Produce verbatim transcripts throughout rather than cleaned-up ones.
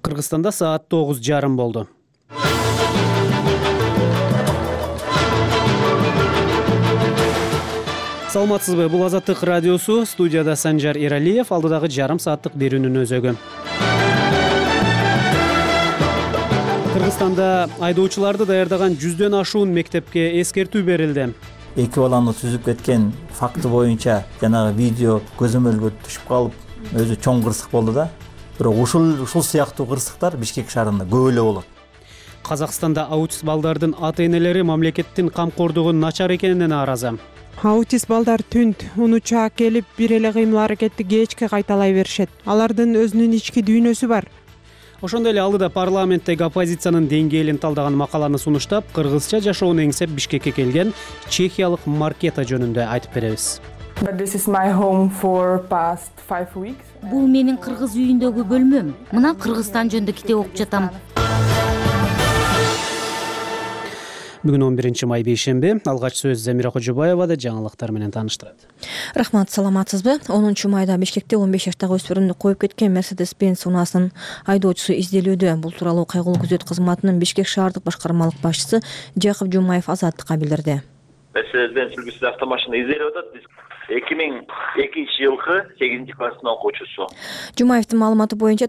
Кыргызстанда саат тогуз жарым болду. Саламатсызбы, бул Азаттык радиосу, студияда Санжар Эралиев, алдыдагы жарым сааттык берүүнүн өзөгү. Кыргызстанда айдоочуларды даярдаган жүздөн ашуун мектепке эскертүү берилди. Эки баланы түзүп кеткен факты боюнча жанагы видео көзөмөлгө түшүп калып, өзү чоң кырсык болду да. Бирок ушул ушул сыяктуу кырсыктар Бишкек шаарында көп эле болот. Казакстанда аутист балдардын ата-энелери мамлекеттин камкордугу начар экенине нааразы. Аутист балдар түнт унуча келип бир эле кыймыл аракетти кечке кайталай беришет. Алардын өзүнүн ички дүйнөсү бар. Ошондой эле алдыда парламенттеги оппозициянын деңгээлин талдаган макаланы сунуштап, кыргызча жашоону эңсеп Бишкекке келген чехиялык Маркета жөнүндө айтып беребиз. Бул менин кыргыз үйүндөгү бөлмөм. Мына Кыргызстан жөнүндө китеп окуп жатам. Бүгүн он биринчи май бейшемби. Алгач сөз Замира Кожобаевада жаңылыктар менен тааныштырат. Рахмат, саламатсызбы? онунчу майда Бишкекте он беш жаштагы өспүрүмдү коюп кеткен Mercedes-Benz унаасынын айдоочусу изделүүдө. Бул тууралуу кайгылуу күзөт кызматынын Бишкек шаардык башкармалык башчысы Жакып Жумаев Азаттыкка билдирди. Mercedes-Benz үлгүсүндө автомашина изделип атат. Биз эки миң экинчи жылкы сегизинчи класстын окуучусу. Жумаевдин маалыматы боюнча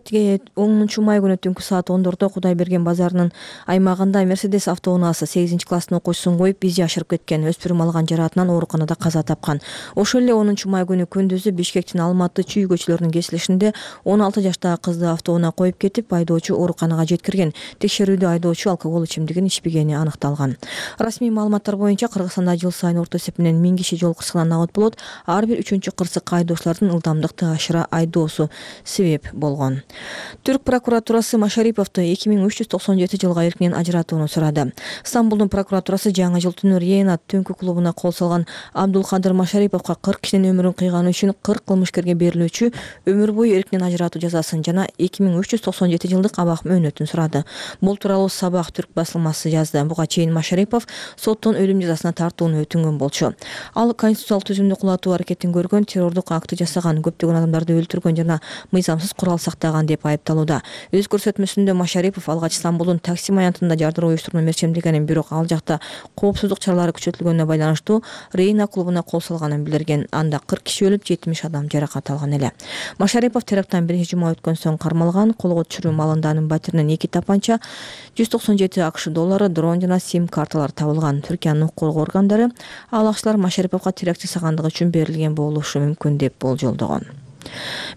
онунчу май күнү түнкү саат ондордо Кудайберген базарынын аймагында Mercedes автоунаасы сегизинчи класстын окуучусун коюп бизи жашырып кеткен. Өспүрүм алган жараатынан ооруканада каза тапкан. Ошол эле онунчу май күнү күндүзү Бишкектин Алматы Чүй көчөлөрүнүн кесилишинде он алты жаштагы кызды автоунаа коюп кетип, айдоочу ооруканага жеткирген. Текшерүүдө айдоочу алкоголь ичимдигин ичпегени аныкталган. Расмий маалыматтар боюнча Кыргызстанда жыл сайын орто эсепинен миң киши жол кырсыгынан набыт болот. Ар бир үчүнчү кырсык айдоочулардын ылдамдыкты ашыра айдоосу себеп болгон. Түрк прокуратурасы Машариповду эки миң үч жүз токсон жети жылга эркинен ажыратууну сурады. Стамбулдун прокуратурасы жаңы жыл түнү Рейнат түнкү клубуна кол салган Абдулкадыр Машариповго кырк кишинин өмүрүн кыйганы үчүн кырк кылмышкерге берилүүчү өмүр бою эркинен ажыратуу жазасын жана эки миң үч жүз токсон жети жылдык абак мөөнөтүн сурады. Бул тууралуу Сабак түрк басылмасы жазды. Буга чейин Машарипов соттон өлүм жазасына тартууну өтүнгөн болчу. Ал конституциялык түзүмдү кулатуу аракетин көргөн, террордук акты жасаган, көптөгөн адамдарды өлтүргөн жана мыйзамсыз курал сактаган деп айыпталууда. Өз көрсөтмөсүндө Машарипов алгач Стамбулдун Таксим аянтында жардыруу уюштурууну мерчемдегенин, бирок ал жакта коопсуздук чаралары күчөтүлгөнүнө байланыштуу Рейна клубуна кол салганын билдирген. Анда кырк киши өлүп, жетимиш адам жаракат алган эле. Машарипов теракттан биринчи жума өткөн соң кармалган. Колго түшүрүү маалында анын батиринен эки тапанча, жүз токсон жети акш доллары, дрон жана сим карталар табылган. Түркиянын укук коргоо органдары ал акчалар Машариповго теракт жасагандыгы үчүн берилген болушу мүмкүн деп болжолдогон.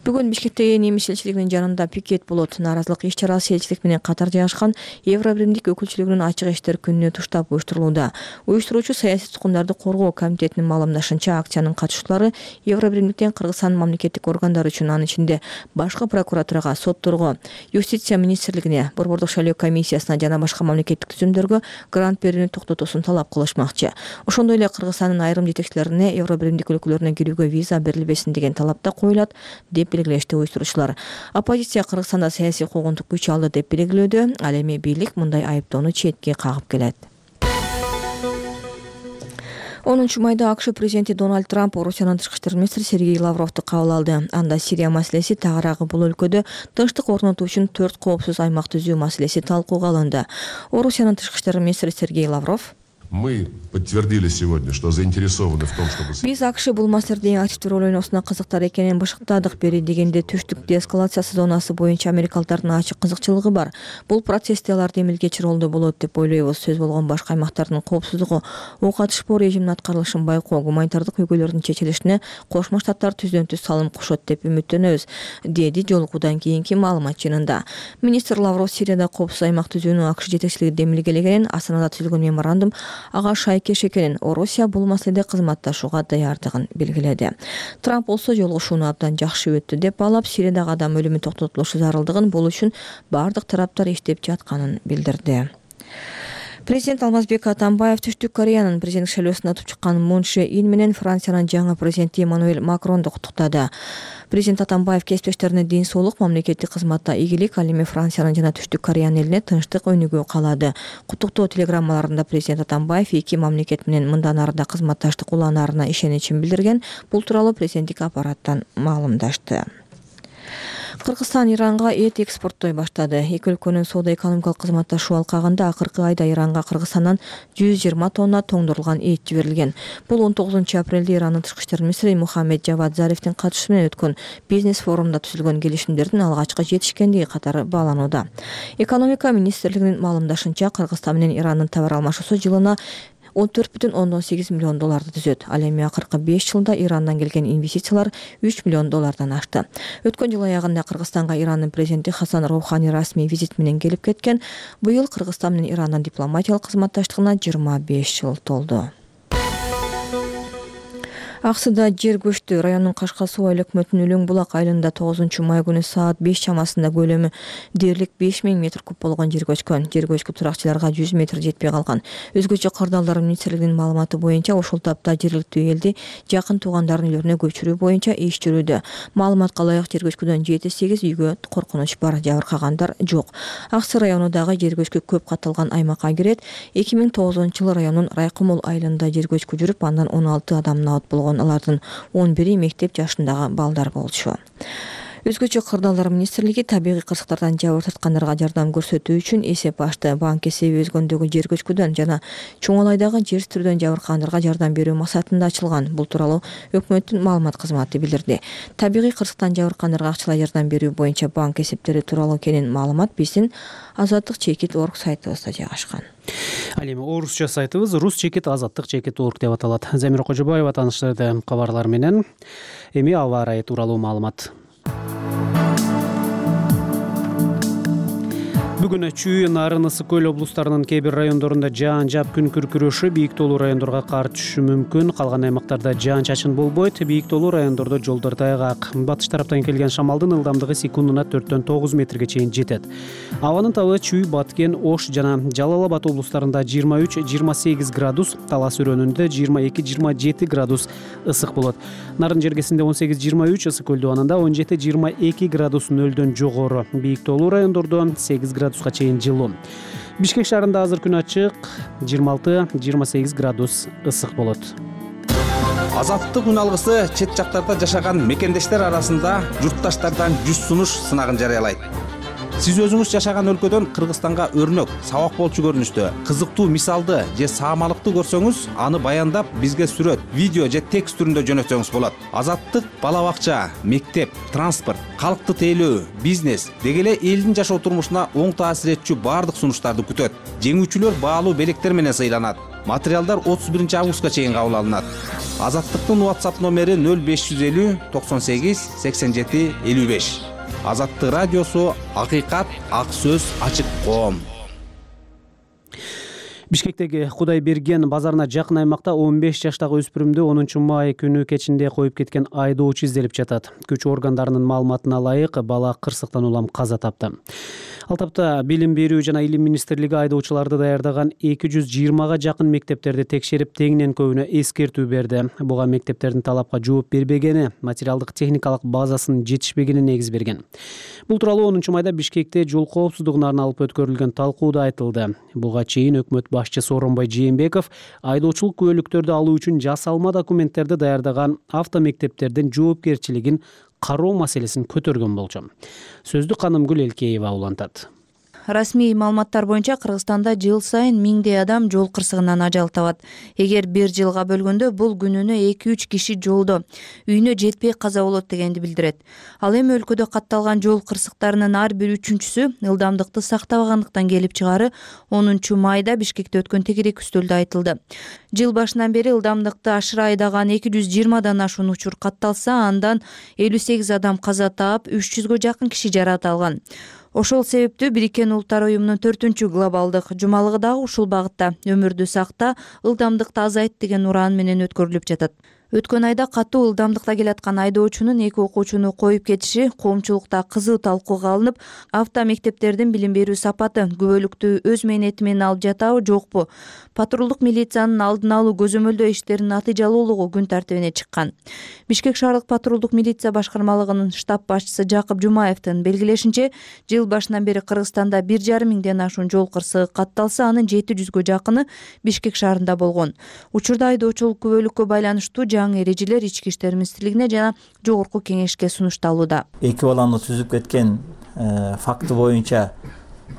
Бүгүн Бишкектеги немис элчилигинин жанында пикет болот. Нааразылык иш-чарасы элчилик менен катар жайгашкан Евробиримдик өкүлчүлүгүнүн ачык эшиктер күнүнө туштап уюштурулууда. Уюштуруучу саясий туткундарды коргоо комитетинин маалымдашынча, акциянын катышуучулары Евробиримдиктен Кыргызстандын мамлекеттик органдары үчүн, анын ичинде башкы прокуратурага, сотторго, юстиция министрлигине, борбордук шайлоо комиссиясына жана башка мамлекеттик түзүмдөргө грант берүүнү токтотуусун талап кылышмакчы. Ошондой эле Кыргызстандын айрым жетекчилерине Евробиримдик өлкөлөрүнө кирүүгө виза берилбесин деген талап да коюлат деп белгилешти уюштуруучулар. Оппозиция Кыргызстанда саясий куугунтук күч алды деп белгилөөдө. Ал эми бийлик мындай айыптоону четке кагып келет. онунчу майда АКШ президенти Дональд Трамп Орусиянын тышкы иштер министри Сергей Лавровду кабыл алды. Анда Сирия маселеси, тагыраагы бул өлкөдө тынчтык орнотуу үчүн төрт коопсуз аймак түзүү маселеси талкууга алынды. Орусиянын тышкы иштер министри Сергей Лавров: Мы подтвердили сегодня, что заинтересованы в том, чтобы... Биз АКШ бул маселеде эң активдүү роль ойносуна кызыктар экенин башыктадык. Бери дегенде түштүк деэскалациясы зонасы боюнча америкалыктардын ачык кызыкчылыгы бар. Бул процессте алар демилгеч ролдо болот деп ойлойбуз. Сөз болгон башка аймактардын коопсуздугу, ок атышпоо режиминин аткарылышын байкоо, гуманитардык көйгөйлөрдүн чечилишине Кошмо Штаттар түздөн түз салым кошот деп үмүттөнөбүз, деди жолугуудан кийинки маалымат жыйынында. Министр Лавров Сирияда коопсуз аймак түзүүнү АКШ жетекчилиги демилгелегенин, Астанада түзүлгөн меморандум ага шайкеш экенин, Орусия бул маселеде кызматташууга даярдыгын белгиледи. Трамп болсо жолугушууну абдан жакшы өттү деп баалап, Сириядагы адам өлүмү токтотулушу зарылдыгын, бул үчүн бардык тараптар иштеп жатканын билдирди. Президент Алмазбек Атамбаев Түштүк Кореянын президенттик шайлоосунда утуп чыккан Мун Чже Ин менен Франциянын жаңы президенти Эммануэль Макронду куттуктады. Президент Атамбаев кесиптештерине ден соолук, мамлекеттик кызматта ийгилик, ал эми Франциянын жана Түштүк Кореянын элине тынчтык өнүгүү каалады. Куттуктоо телеграммаларында президент Атамбаев эки мамлекет менен мындан ары да кызматташтык уланаарына ишеничин билдирген. Бул тууралуу президенттик аппараттан маалымдашты. Кыргызстан Иранга эт экспорттой баштады. Эки өлкөнүн соода-экономикалык кызматташуу алкагында акыркы айда Иранга Кыргызстандан жүз жыйырма тонна тоңдурулган эт жиберилген. Бул он тогузунчу апрелде Ирандын тышкы иштер министри Мухаммед Жавад Зарифтин катышуусу менен өткөн бизнес форумда түзүлгөн келишимдердин алгачкы жетишкендиги катары бааланууда. Экономика министрлигинин маалымдашынча, Кыргызстан менен Ирандын товар алмашуусу жылына он төрт бүтүн ондон сегиз миллион долларды түзөт. Ал эми акыркы беш жылда Ирандан келген инвестициялар үч миллион доллардан ашты. Өткөн жыл аягында Кыргызстанга Ирандын президенти Хасан Роухани расмий визит менен келип кеткен. Быйыл Кыргызстан менен Ирандын дипломатиялык кызматташтыгына жыйырма беш жыл толду. Аксыда жер көчтү. Райондун Кашка суу айыл өкмөтүнүн Үлөң булак айылында тогузунчу май күнү саат беш чамасында көлөмү дээрлик беш миң метр куб болгон жер көчкөн. Жер көчкү туракчыларга жүз метр жетпей калган. Өзгөчө кырдаалдар министрлигинин маалыматы боюнча ошол тапта жергиликтүү элди жакын туугандардын үйлөрүнө көчүрүү боюнча иш жүрүүдө. Маалыматка ылайык жер көчкүдөн жети сегиз үйгө коркунуч бар, жабыркагандар жок. Аксы районундагы жер көчкү көп катталган аймакка кирет. эки миң тогузунчу жылы райондун Райкымул айылында жер көчкү жүрүп, андан он алты адам набат болгон. Алардын он бири мектеп жашындагы балдар болчу. Өзгөчө кырдаалдар министрлиги табигый кырсыктардан жабыр тарткандарга жардам көрсөтүү үчүн эсеп ачты. Банк эсеби өзгөндөгү жер көчкүдөн жана Чоңалайдагы жер тирүүдөн жабыркагандарга жардам берүү максатында ачылган. Бул тууралуу өкмөттүн маалымат кызматы билдирди. Табигый кырсыктан жабыркагандарга акчалай жардам берүү боюнча банк эсептери тууралуу кенен маалымат биздин азаттык чекит точка орг сайтыбызда жайгашкан. Ал эми орусча сайтыбыз рус чекит азаттык чекит точка орг деп аталат. Замира Кожобаева тааныштырды кабарлар менен. Эми аба ырайы тууралуу маалымат. Бүгүн Чүй, Нарын, Ысык көл облустарынын кээ бир райондорунда жаан жаап күн күркүрөшү, бийик тоолуу райондорго кар түшүшү мүмкүн. Калган аймактарда жаан чачын болбойт. Бийик тоолуу райондордо жолдор тайгак. Батыш тараптан келген шамалдын ылдамдыгы секундуна төрттөн тогуз метрге чейин жетет. Абанын табы Чүй, Баткен, Ош жана Жалал Абад облустарында жыйырма үч жыйырма сегиз градус, Талас өрөөнүндө жыйырма эки жыйырма жети градус ысык болот. Нарын жергесинде он сегиз жыйырма үч, Ысык көл дубанында он жети жыйырма эки градус нөлдөн жогору. Бийик тоолуу райондордо сегиз градуска чейин жылуу. Бишкек шаарында азыр күн ачык, жыйырма алты жыйырма сегиз градус ысык болот. Азаттык күн алгысы чет жактарда жашаган мекендештер арасында журтташтардан жүз сунуш сынагын жарыялайт. Сиз өзүңүз жашаган өлкөдөн Кыргызстанга өрнөк, сабак болчу көрүнүштө, кызыктуу мисалды же саамалыкты көрсөңүз, аны баяндап бизге сүрөт, видео же текст түрүндө жөнөтсөңүз болот. Азаттык бала бакча, мектеп, транспорт, калкты тейлөө, бизнес деги эле элдин жашоо турмушуна оң таасир этчү баардык сунуштарды күтөт. Жеңүүчүлөр баалуу белектер менен сыйланат. Материалдар отуз биринчи августка чейин кабыл алынат. Азаттыктын WhatsApp номери нөл беш жүз элүү токсон сегиз сексен жети элүү беш. Азаттык радиосу, акыйкат, ак сөз, ачык коом. Бишкектеги Кудайберген базарына жакын аймакта он беш жаштагы өспүрүмдү онунчу май күнү кечинде коюп кеткен айдоочу изделип жатат. Күч органдарынын маалыматына ылайык, бала кырсыктан улам каза тапты. Ал тапта Билим берүү жана Илим министрлиги айдоочуларды даярдаган эки жүз жыйырмага жакын мектептерди текшерип, теңинен көбүнө эскертүү берди. Буга мектептердин талапка жооп бербегени, материалдык техникалык базасынын жетишпегени негиз берген. Бул тууралуу онунчу майда Бишкекте жол коопсуздугуна арналып өткөрүлгөн талкууда айтылды. Буга чейин өкмөт башчысы Сооронбай Жээнбеков айдоочулук күбөлүктөрдү алуу үчүн жасалма документтерди даярдаган автомектептердин жоопкерчилигин кароо маселесин көтөргөн болчу. Сөздү Канымгүл Элкеева улантат. Расмий маалыматтар боюнча Кыргызстанда жыл сайын миңдей адам жол кырсыгынан ажал табат. Эгер бир жылга бөлгөндө бул күнүнө эки үч киши жолдо үйүнө жетпей каза болот дегенди билдирет. Ал эми өлкөдө катталган жол кырсыктарынын ар бир үчүнчүсү ылдамдыкты сактабагандыктан келип чыгаары онунчу майда Бишкекте өткөн тегерек үстөлдө айтылды. Жыл башынан бери ылдамдыкты ашыра айдаган эки жүз жыйырмадан ашуун учур катталса, андан элүү сегиз адам каза таап, үч жүзгө жакын киши жаракат алган. Ошол себептүү Бириккен Улуттар уюмунун төртүнчү глобалдык жумалыгы дагы ушул багытта өмүрдү сакта, ылдамдыкты азайт деген ураан менен өткөрүлүп жатат. Өткөн айда катуу ылдамдыкта келаткан айдоочунун эки окуучуну коюп кетиши коомчулукта кызуу талкууга алынып, автомектептердин билим берүү сапаты күбөлүктү өз мээнети менен алып жатабы, жокпу? Патрулдук милициянын алдын алуу көзөмөлдөө иштеринин натыйжалуулугу күн тартибине чыккан. Бишкек шаардык патрулдук милиция башкармалыгынын штаб башчысы Жакып Жумаевдин белгилешинче, жыл башынан бери Кыргызстанда бир жарым миңден ашуун жол кырсыгы катталса, анын жети жүзгө жакыны Бишкек шаарында болгон. Учурда айдоочулук күбөлүккө байланыштуу жаңы эрежелер Ички иштер министрлигине жана Жогорку кеңешке сунушталууда. Эки баланы түзүп кеткен факты боюнча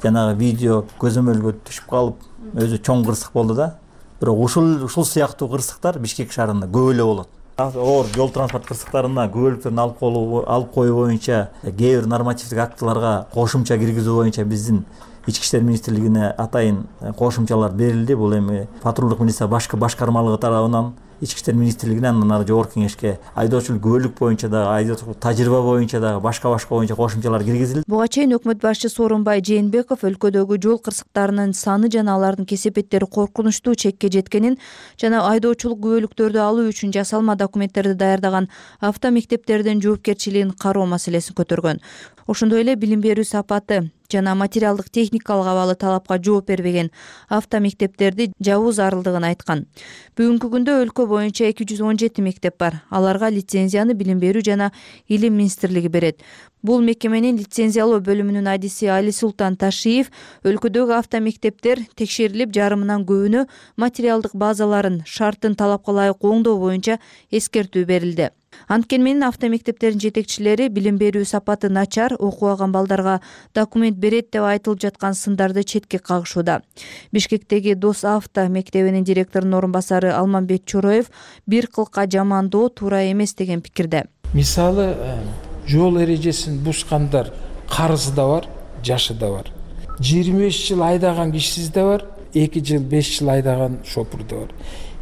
жанагы видео көзөмөлгө түшүп калып, өзү чоң кырсык болду да. Бирок ушул ушул сыяктуу кырсыктар Бишкек шаарында көп эле болот. Оор жол транспорт кырсыктарына күбөлүктөрүн алып коюу алып коюу боюнча кээ бир нормативдик актыларга кошумча киргизүү боюнча биздин Ички иштер министрлигине атайын кошумчалар берилди. Бул эми патрулдук милиция башкы башкармалыгы тарабынан Ички иштер министрлигине, андан ары Жогорку кеңешке айдоочулук күбөлүк боюнча дагы, айдоочулук тажрыйба боюнча дагы башка-башка боюнча кошумчалар киргизилди. Буга чейин өкмөт башчысы Сооронбай Жээнбеков өлкөдөгү жол кырсыктарынын саны жана алардын кесепеттери коркунучтуу чекке жеткенин жана айдоочулук күбөлүктөрдү алуу үчүн жасалма документтерди даярдаган автомектептердин жоопкерчилигин кароо маселесин көтөргөн. Ошондой эле билим берүү сапаты жана материалдык техникалык абалы талапка жооп бербеген автомектептерди жабуу зарылдыгын айткан. Бүгүнкү күндө өлкө боюнча эки жүз он жети мектеп бар. Аларга лицензияны билим берүү жана илим министрлиги берет. Бул мекеменин лицензиялоо бөлүмүнүн адиси Али Султан Ташиев өлкөдөгү автомектептер текшерилип, жарымынан көбүнө материалдык базаларын шарттын талапка ылайык оңдоо боюнча эскертүү берилди. Анткени менен автомектептердин жетекчилери билим берүү сапаты начар, окубаган балдарга документ берет деп айтылып жаткан сындарды четке кагышууда. Бишкектеги Дос авто мектебинин директорунун орун басары Алмамбет Чороев бир кылка жамандоо туура эмес деген пикирде. Мисалы, жол эрежесин бузгандар карызы да бар, жашы да бар. жыйырма беш жыл айдаган кишисиз да бар, эки жыл, беш жыл айдаган шопур да бар.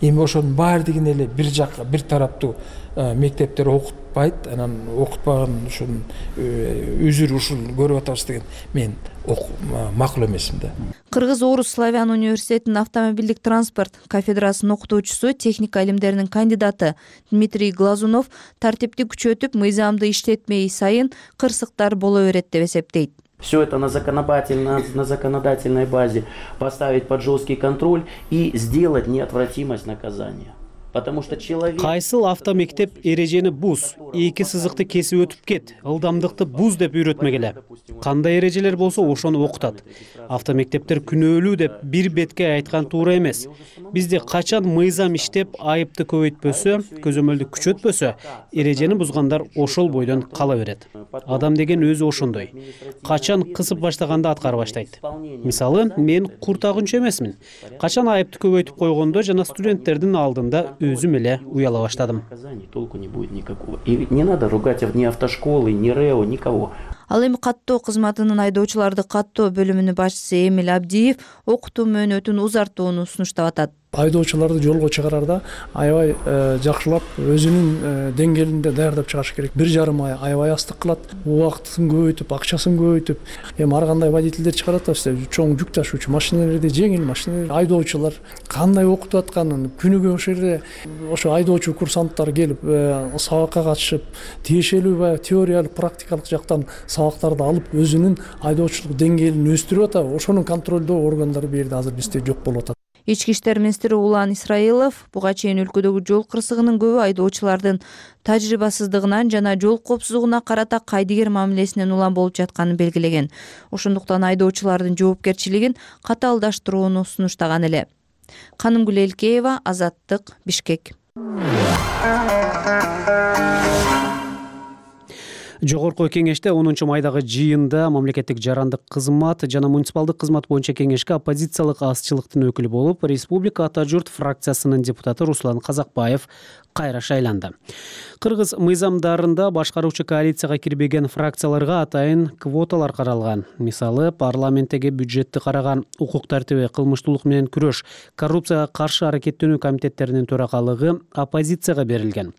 Эми ошонун баардыгын эле бир жакка, бир тараптуу мектептер окутпайт, анан окутпаган ушун үзүр ушул көрүп атабыз деген мен макул эмесмин да. Кыргыз-Орус славян университетинин автомобилдик транспорт кафедрасынын окутуучусу, техника илимдеринин кандидаты Дмитрий Глазунов тартипти күчөтүп, мыйзамды иштетмей сайын кырсыктар боло берет деп эсептейт. Все это на законодательной, на законодательной базе поставить под жесткий контроль и сделать неотвратимость наказания. Потому что человек... Кайсыл автомектеп эрежени буз, эки сызыкты кесип өтүп кет, ылдамдыкты буз деп үйрөтмөгеле. Кандай эрежелер болсо ошону окутат. Автомектептер күнөөлүү деп бир бетке айткан туура эмес. Бизде качан мыйзам иштеп, айыпты көбөйтпөсө, көзөмөлдү күчөтпөсө, эрежени бузгандар ошол бойдон кала берет. Адам деген өзү ошондой. Качан кысып баштаганда аткара баштайт. Мисалы, мен куртагынчы эмесмин. Качан айыпты көбөйтүп койгондо жана студенттердин алдында өзүм эле уяла баштадым. Толку не будет никакого. И не надо ругать ни автошколы, ни РЭО, никого. Ал эми каттоо кызматынын айдоочуларды каттоо бөлүмүнүн башчысы Эмил Абдиев окутуу мөөнөтүн узартууну сунуштап атат. Айдоочуларды жолго чыгарарда аябай жакшылап өзүнүн деңгээлинде даярдап чыгыш керек. Бир жарым ай аябай астык кылат, убактысын көбөйтүп, акчасын көбөйтүп. Эми ар кандай водительдер чыгарат да, чоң жүк ташуучу машиналерди, жеңил машиналар, айдоочулар кандай окутуп атканын күнүгө ошол жерде ошо айдоочу курсанттар келип сабакка катышып, тиешелүү баягы теориялык, практикалык жактан сабактарды алып, өзүнүн айдоочулук деңгээлин өстүрүп атат. Ошонун контролдоо органдары бу жерде азыр бизде жок болуп атат. Ички иштер министри Улан Исраилов буга чейин өлкөдөгү жол кырсыгынын көбү айдоочулардын тажрыйбасыздыгынан жана жол коопсуздугуна карата кайдыгер мамилесинен улам болуп жатканын белгилеген. Ошондуктан айдоочулардын жоопкерчилигин катаалдаштырууну сунуштаган эле. Канымгүл Элкеева, Азаттык, Бишкек. Жогорку кеңеште онунчу майдагы жыйында мамлекеттик жарандык кызмат жана муниципалдык кызмат боюнча кеңешке оппозициялык азчылыктын өкүлү болуп, Республика Ата журт фракциясынын депутаты Руслан Казакбаев кайра шайланды. Кыргыз мыйзамдарында башкаруучу коалицияга кирбеген фракцияларга атайын квоталар каралган. Мисалы, парламенттеги бюджетти караган укук тартиби, кылмыштуулук менен күрөш, коррупцияга каршы аракеттенүү комитеттеринин төрагалыгы оппозицияга берилген.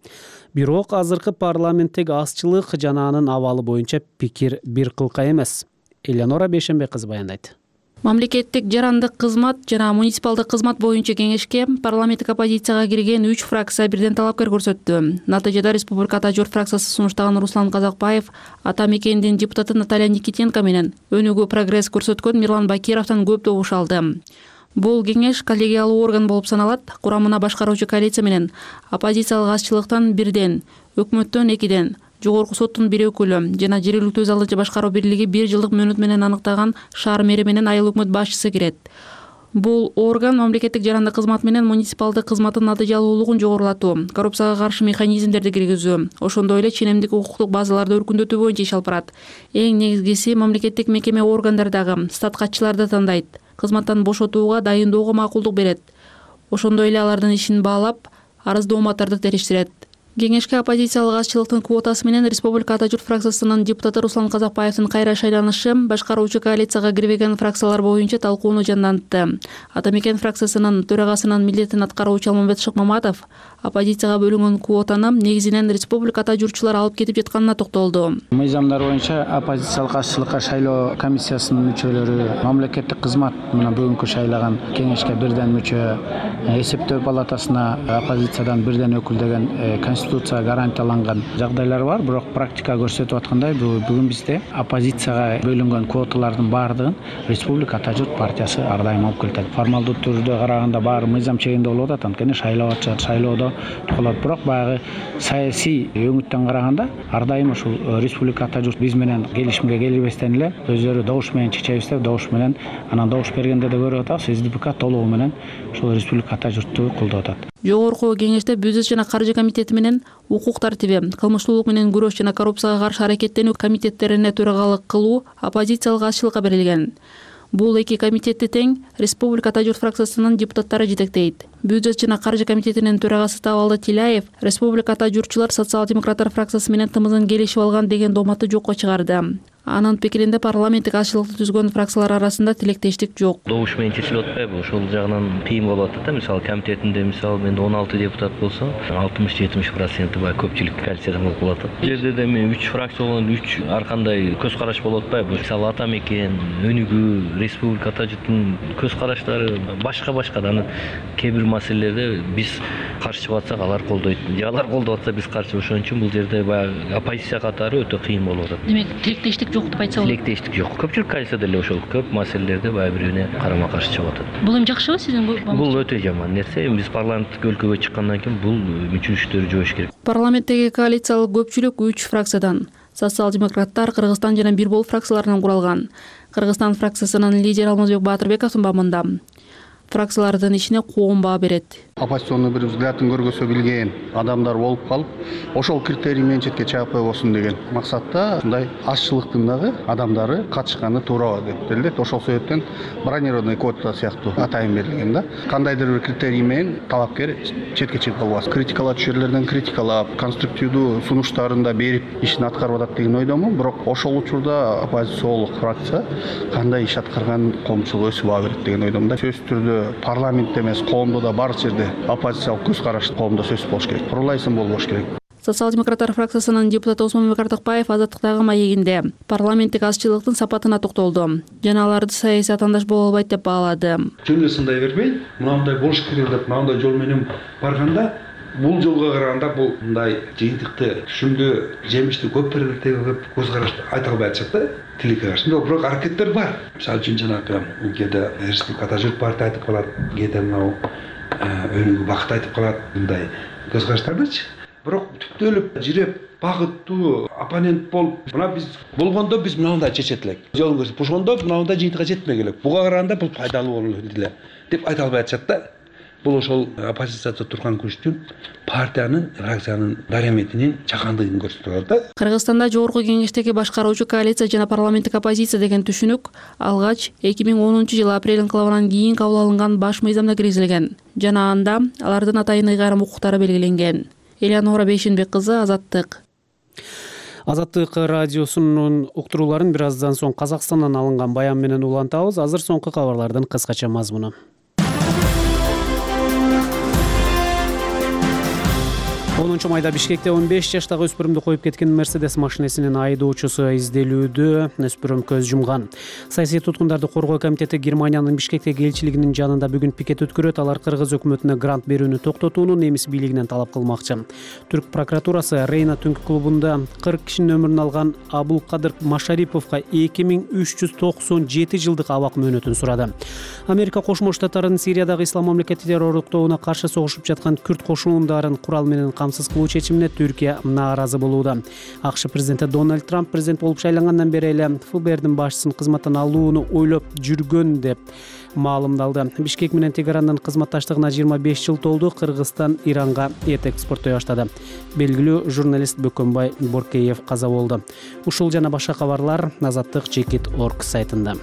Бирок азыркы парламенттеги азчылык жана анын абалы боюнча пикир бир кылка эмес. Элеонора Бейшенбек кызы баяндайт. Мамлекеттик жарандык кызмат жана муниципалдык кызмат боюнча кеңешке парламенттик оппозицияга кирген үч фракция бирден талапкер көрсөттү. Натыйжада Республика Ата журт фракциясы сунуштаган Руслан Казакбаев Ата мекенинин депутаты Наталья Никитенко менен өнүгүү прогресс көрсөткөн Мирлан Бакировдон көп добуш алды. Бул кеңеш коллегиялуу орган болуп саналат. Курамына башкаруучу коалиция менен оппозициялык азчылыктан бирден, өкмөттөн экиден, Жогорку соттун бир өкүлү жана жергиликтүү өз алдынча башкаруу бирлиги бир жылдык мөөнөт менен аныктаган шаар мэри менен айыл өкмөт башчысы кирет. Бул орган мамлекеттик жарандык кызмат менен муниципалдык кызматтын натыйжалуулугун жогорулатуу, коррупцияга каршы механизмдерди киргизүү, ошондой эле ченемдик укуктук базаларды өркүндөтүү боюнча иш алып барат. Эң негизгиси мамлекеттик мекеме органдардагы статкатчыларды тандайт, кызматтан бошотууга дайындоого макулдук берет. Ошондой эле алардын ишин баалап, арыздооматтарды териштирет. Кеңешке оппозициялык азчылыктын квотасы менен Республика Ата журт фракциясынын депутаты Руслан Казакбаевдин кайра шайланышы башкаруучу коалицияга кирбеген фракциялар боюнча талкууну жандантты. Ата мекен фракциясынын төрагасынын милдетин аткаруучу Алмамбет Шыкмаматов оппозицияга бөлүнгөн квотаны негизинен Республика Ата журтчулар алып кетип жатканына токтолду. Мыйзамдар боюнча оппозициялык азчылыкка шайлоо комиссиясынын мүчөлөрү мамлекеттик кызмат менен бүгүнкү шайлаган кеңешке бирден мүчө, эсептөө палатасына оппозициядан бирден өкүл деген конституция гарантияланган жагдайлар бар, бирок практика көрсөтүп аткандай бүгүн бизде оппозицияга бөлүнгөн квоталардын баардыгын Республика Ата журт партиясы ар дайым алып келет. Формалдуу түрдө караганда баары мыйзам чегинде болуп атат, анткени шайлоо атышат, шайлоодо болот. Бирок баягы саясий өңүттөн караганда ар дайым ушул Республика Ата журт биз менен келишимге келбестен эле өздөрү добуш менен чечебиз деп добуш менен анан добуш бергенде да көрүп атабыз, СДПК толугу менен ушул Республика Ата журтту колдоп атат. Жогорку кеңеште бюджет жана каржы комитети менен укук тартиби, кылмыштуулук менен күрөш жана коррупцияга каршы аракеттенүү комитеттерине төрагалык кылуу оппозициялык азчылыкка берилген. Бул эки комитетти тең Республика Ата журт фракциясынын депутаттары жетектейт. Бюджет жана каржы комитетинин төрагасы Табалды Тилаев Республика Ата журтчулар социал-демократтар фракциясы менен тымызын келишип алган деген дооматты жокко чыгарды. Анын пикиринде парламенттик азчылыкты түзгөн фракциялар арасында тилектештик жок. Добуш менен чечилип атпайбы? Ошол жагынан кыйын болуп атат да. Мисалы комитетинде мисалы менде он алты депутат болсо, алтымыш жетимиш проценти бай көпчүлүк коалициядан болуп атат. Бул жерде да мен үч фракция болгон үч ар кандай көз караш болуп атпайбы? Мисалы Ата мекен, Өнүгүү, Республика Ата журттун көз караштары башка-башка да. Анан кээ бир маселелерде биз каршы чыгып атсак, алар колдойт. Же алар колдоп атса биз каршы. Ошон үчүн бул жерде баягы оппозиция катары өтө кыйын болуп атат. Демек, тилектештик жок деп айтса болот. Тилектештик жок. Көпчүлүк коалицияда эле ошол көп маселелерде баягы бири-бирине карама-каршы чыгып атат. Бул эми жакшыбы сиздин? Бул өтө жаман нерсе. Биз парламенттик өлкөгө чыккандан кийин бул мүчүлүштөрү жойуш керек. Парламенттеги коалициялык көпчүлүк үч фракциядан, социал-демократтар, Кыргызстан жана Бир Бол фракцияларынан куралган. Кыргызстан фракциясынын лидери Алмазбек Баатырбековдун бабында фракциялардын ишине коом баа берет. Оппозиционный бир взглядын көргөзө билген адамдар болуп калып, ошол критерий менен четке чыгып койбосун деген максатта мындай азчылыктын дагы адамдары катышканы туура деп билет. Ошол себептен бронированный квота сыяктуу атайын берилген да. Кандайдыр бир критерий менен талапкер четке чыгып калбасын. Критикалаочу жерлерден критикалап, конструктивдүү сунуштарын да берип ишин аткарып атат деген ойдомун. Бирок ошол учурда оппозициялык фракция кандай иш аткарган коомчулук өсүп ала берет деген ойдомун да. Сөзсүз түрдө парламентте эмес, коомдо да бар жерде оппозициялык көз караш коомдо сөзсүз болуш керек. Курулайсын болбош керек. Социал-демократтар фракциясынын депутаты Осмонбек Артыкбаев Азаттыктагы маегинде парламенттик азчылыктын сапатына токтолду. Жана аларды саясий атаандаш боло албайт деп баалады. Жөн сындай бербей, мындай болуш керек деп мындай жол менен барганда, бул жолго караганда бул мындай жыйынтыкты, түшүмдүү, жемиштүү көп берилет деп көз карашты айта албай атышат да. Тиликке каршы. Бирок аракеттер бар. Мисалы үчүн жанагы кээде Республика Ата журт партия айтып калат, кээде мынау Өнүгүү бакыт айтып калат, мындай көз караштардычы. Бирок түптөлүп, жиреп, багыттуу оппонент болуп, мына биз болгондо биз мындай чечет элек. Жолун көрсөтүп, ошондо мындай жыйынтыкка жетмек элек. Буга караганда бул пайдалуу болот эле деп айта албай атышат да. Бул ошол оппозицияда турган күчтүн партиянын, фракциянын дараметинин чакандыгын көрсөтөт да. Кыргызстанда жогорку кеңештеги башкаруучу коалиция жана парламенттик оппозиция деген түшүнүк алгач эки миң онунчу жылы апрель инкылабынан кийин кабыл алынган баш мыйзамда киргизилген жана анда алардын атайын ыйгарым укуктары белгиленген. Элеонора Бейшенбек кызы, Азаттык. Азаттык радиосунун уктурууларын бир аздан соң Казакстандан алынган баян менен улантабыз. Азыр соңку кабарлардын кыскача мазмуну. онунчу майда Бишкекте он беш жаштагы өспүрүмдү коюп кеткен Мерседес машинесинин айдоочусу изделүүдө. Өспүрүм көз жумган. Саясий туткундарды коргоо комитети Германиянын Бишкектеги элчилигинин жанында бүгүн пикет өткөрөт. Алар кыргыз өкмөтүнө грант берүүнү токтотууну немис бийлигинен талап кылмакчы. Түрк прокуратурасы Рейна түнкү клубунда кырк кишинин өмүрүн алган Абулкадыр Машариповго эки миң үч жүз токсон жети жылдык абак мөөнөтүн сурады. Америка Кошмо Штаттарынын Сириядагы ислам мамлекети террорлуктоуна каршы согушуп жаткан күрд кошундарын курал менен камсыз кылуу чечимине Түркия нааразы болууда. АКШ президенти Дональд Трамп президент болуп шайлангандан бери эле ФБРдин башчысын кызматтан алууну ойлоп жүргөн деп маалымдалды. Бишкек менен Тегерандын кызматташтыгына жыйырма беш жыл толду. Кыргызстан Иранга эт экспорттой баштады. Белгилүү журналист Бөкөнбай Боркеев каза болду. Ушул жана башка кабарлар Азаттык чекит точка орг сайтында.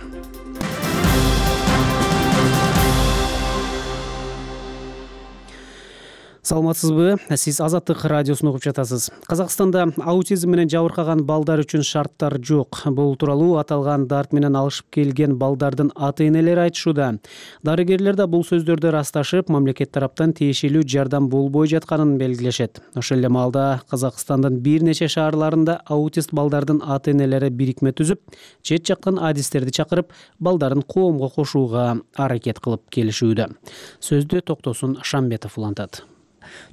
Саламатсызбы? Сиз Азаттык радиосун угуп жатасыз. Казакстанда аутизм менен жабыркаган балдар үчүн шарттар жок. Бул тууралуу аталган дарт менен алышып келген балдардын ата-энелери айтышууда. Дарыгерлер да бул сөздөрдү ырасташып, мамлекет тараптан тиешелүү жардам болбой жатканын белгилешет. Ошол эле маалда Казакстандын бир нече шаарларында аутист балдардын ата-энелери бирикме түзүп, чет жактан адистерди чакырып, балдарын коомго кошууга аракет кылып келишүүдө. Сөздү Токтосун Шамбетов улантат.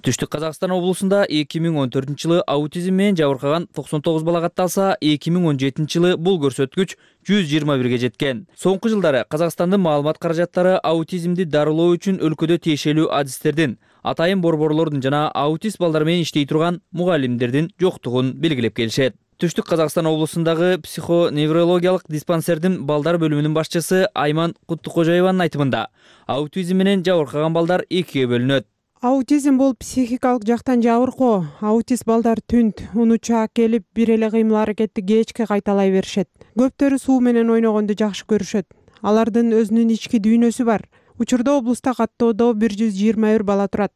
Түштүк Казакстан облусунда эки миң он төртүнчү жылы аутизм менен жабыркаган токсон тогуз бала катталса, эки миң он жетинчи жылы бул көрсөткүч жүз жыйырма бирге жеткен. Соңку жылдары Казакстандын маалымат каражаттары аутизмди дарылоо үчүн өлкөдө тиешелүү адистердин, атайын борборлордун жана аутист балдар менен иштей турган мугалимдердин жоктугун белгилеп келишет. Түштүк Казакстан облусундагы психоневрологиялык диспансердин балдар бөлүмүнүн башчысы Айман Куттукожоеванын айтымында, аутизм менен жабыркаган балдар экиге бөлүнөт. Аутизм бул психикалык жактан жабыркоо. Аутист балдар түнт, унучаак келип, бир эле кыймыл-аракетти кечке кайталай беришет. Көптөрү суу менен ойногонду жакшы көрүшөт. Алардын өзүнүн ички дүйнөсү бар. Учурда облуста каттоодо бир жүз жыйырма бир бала турат.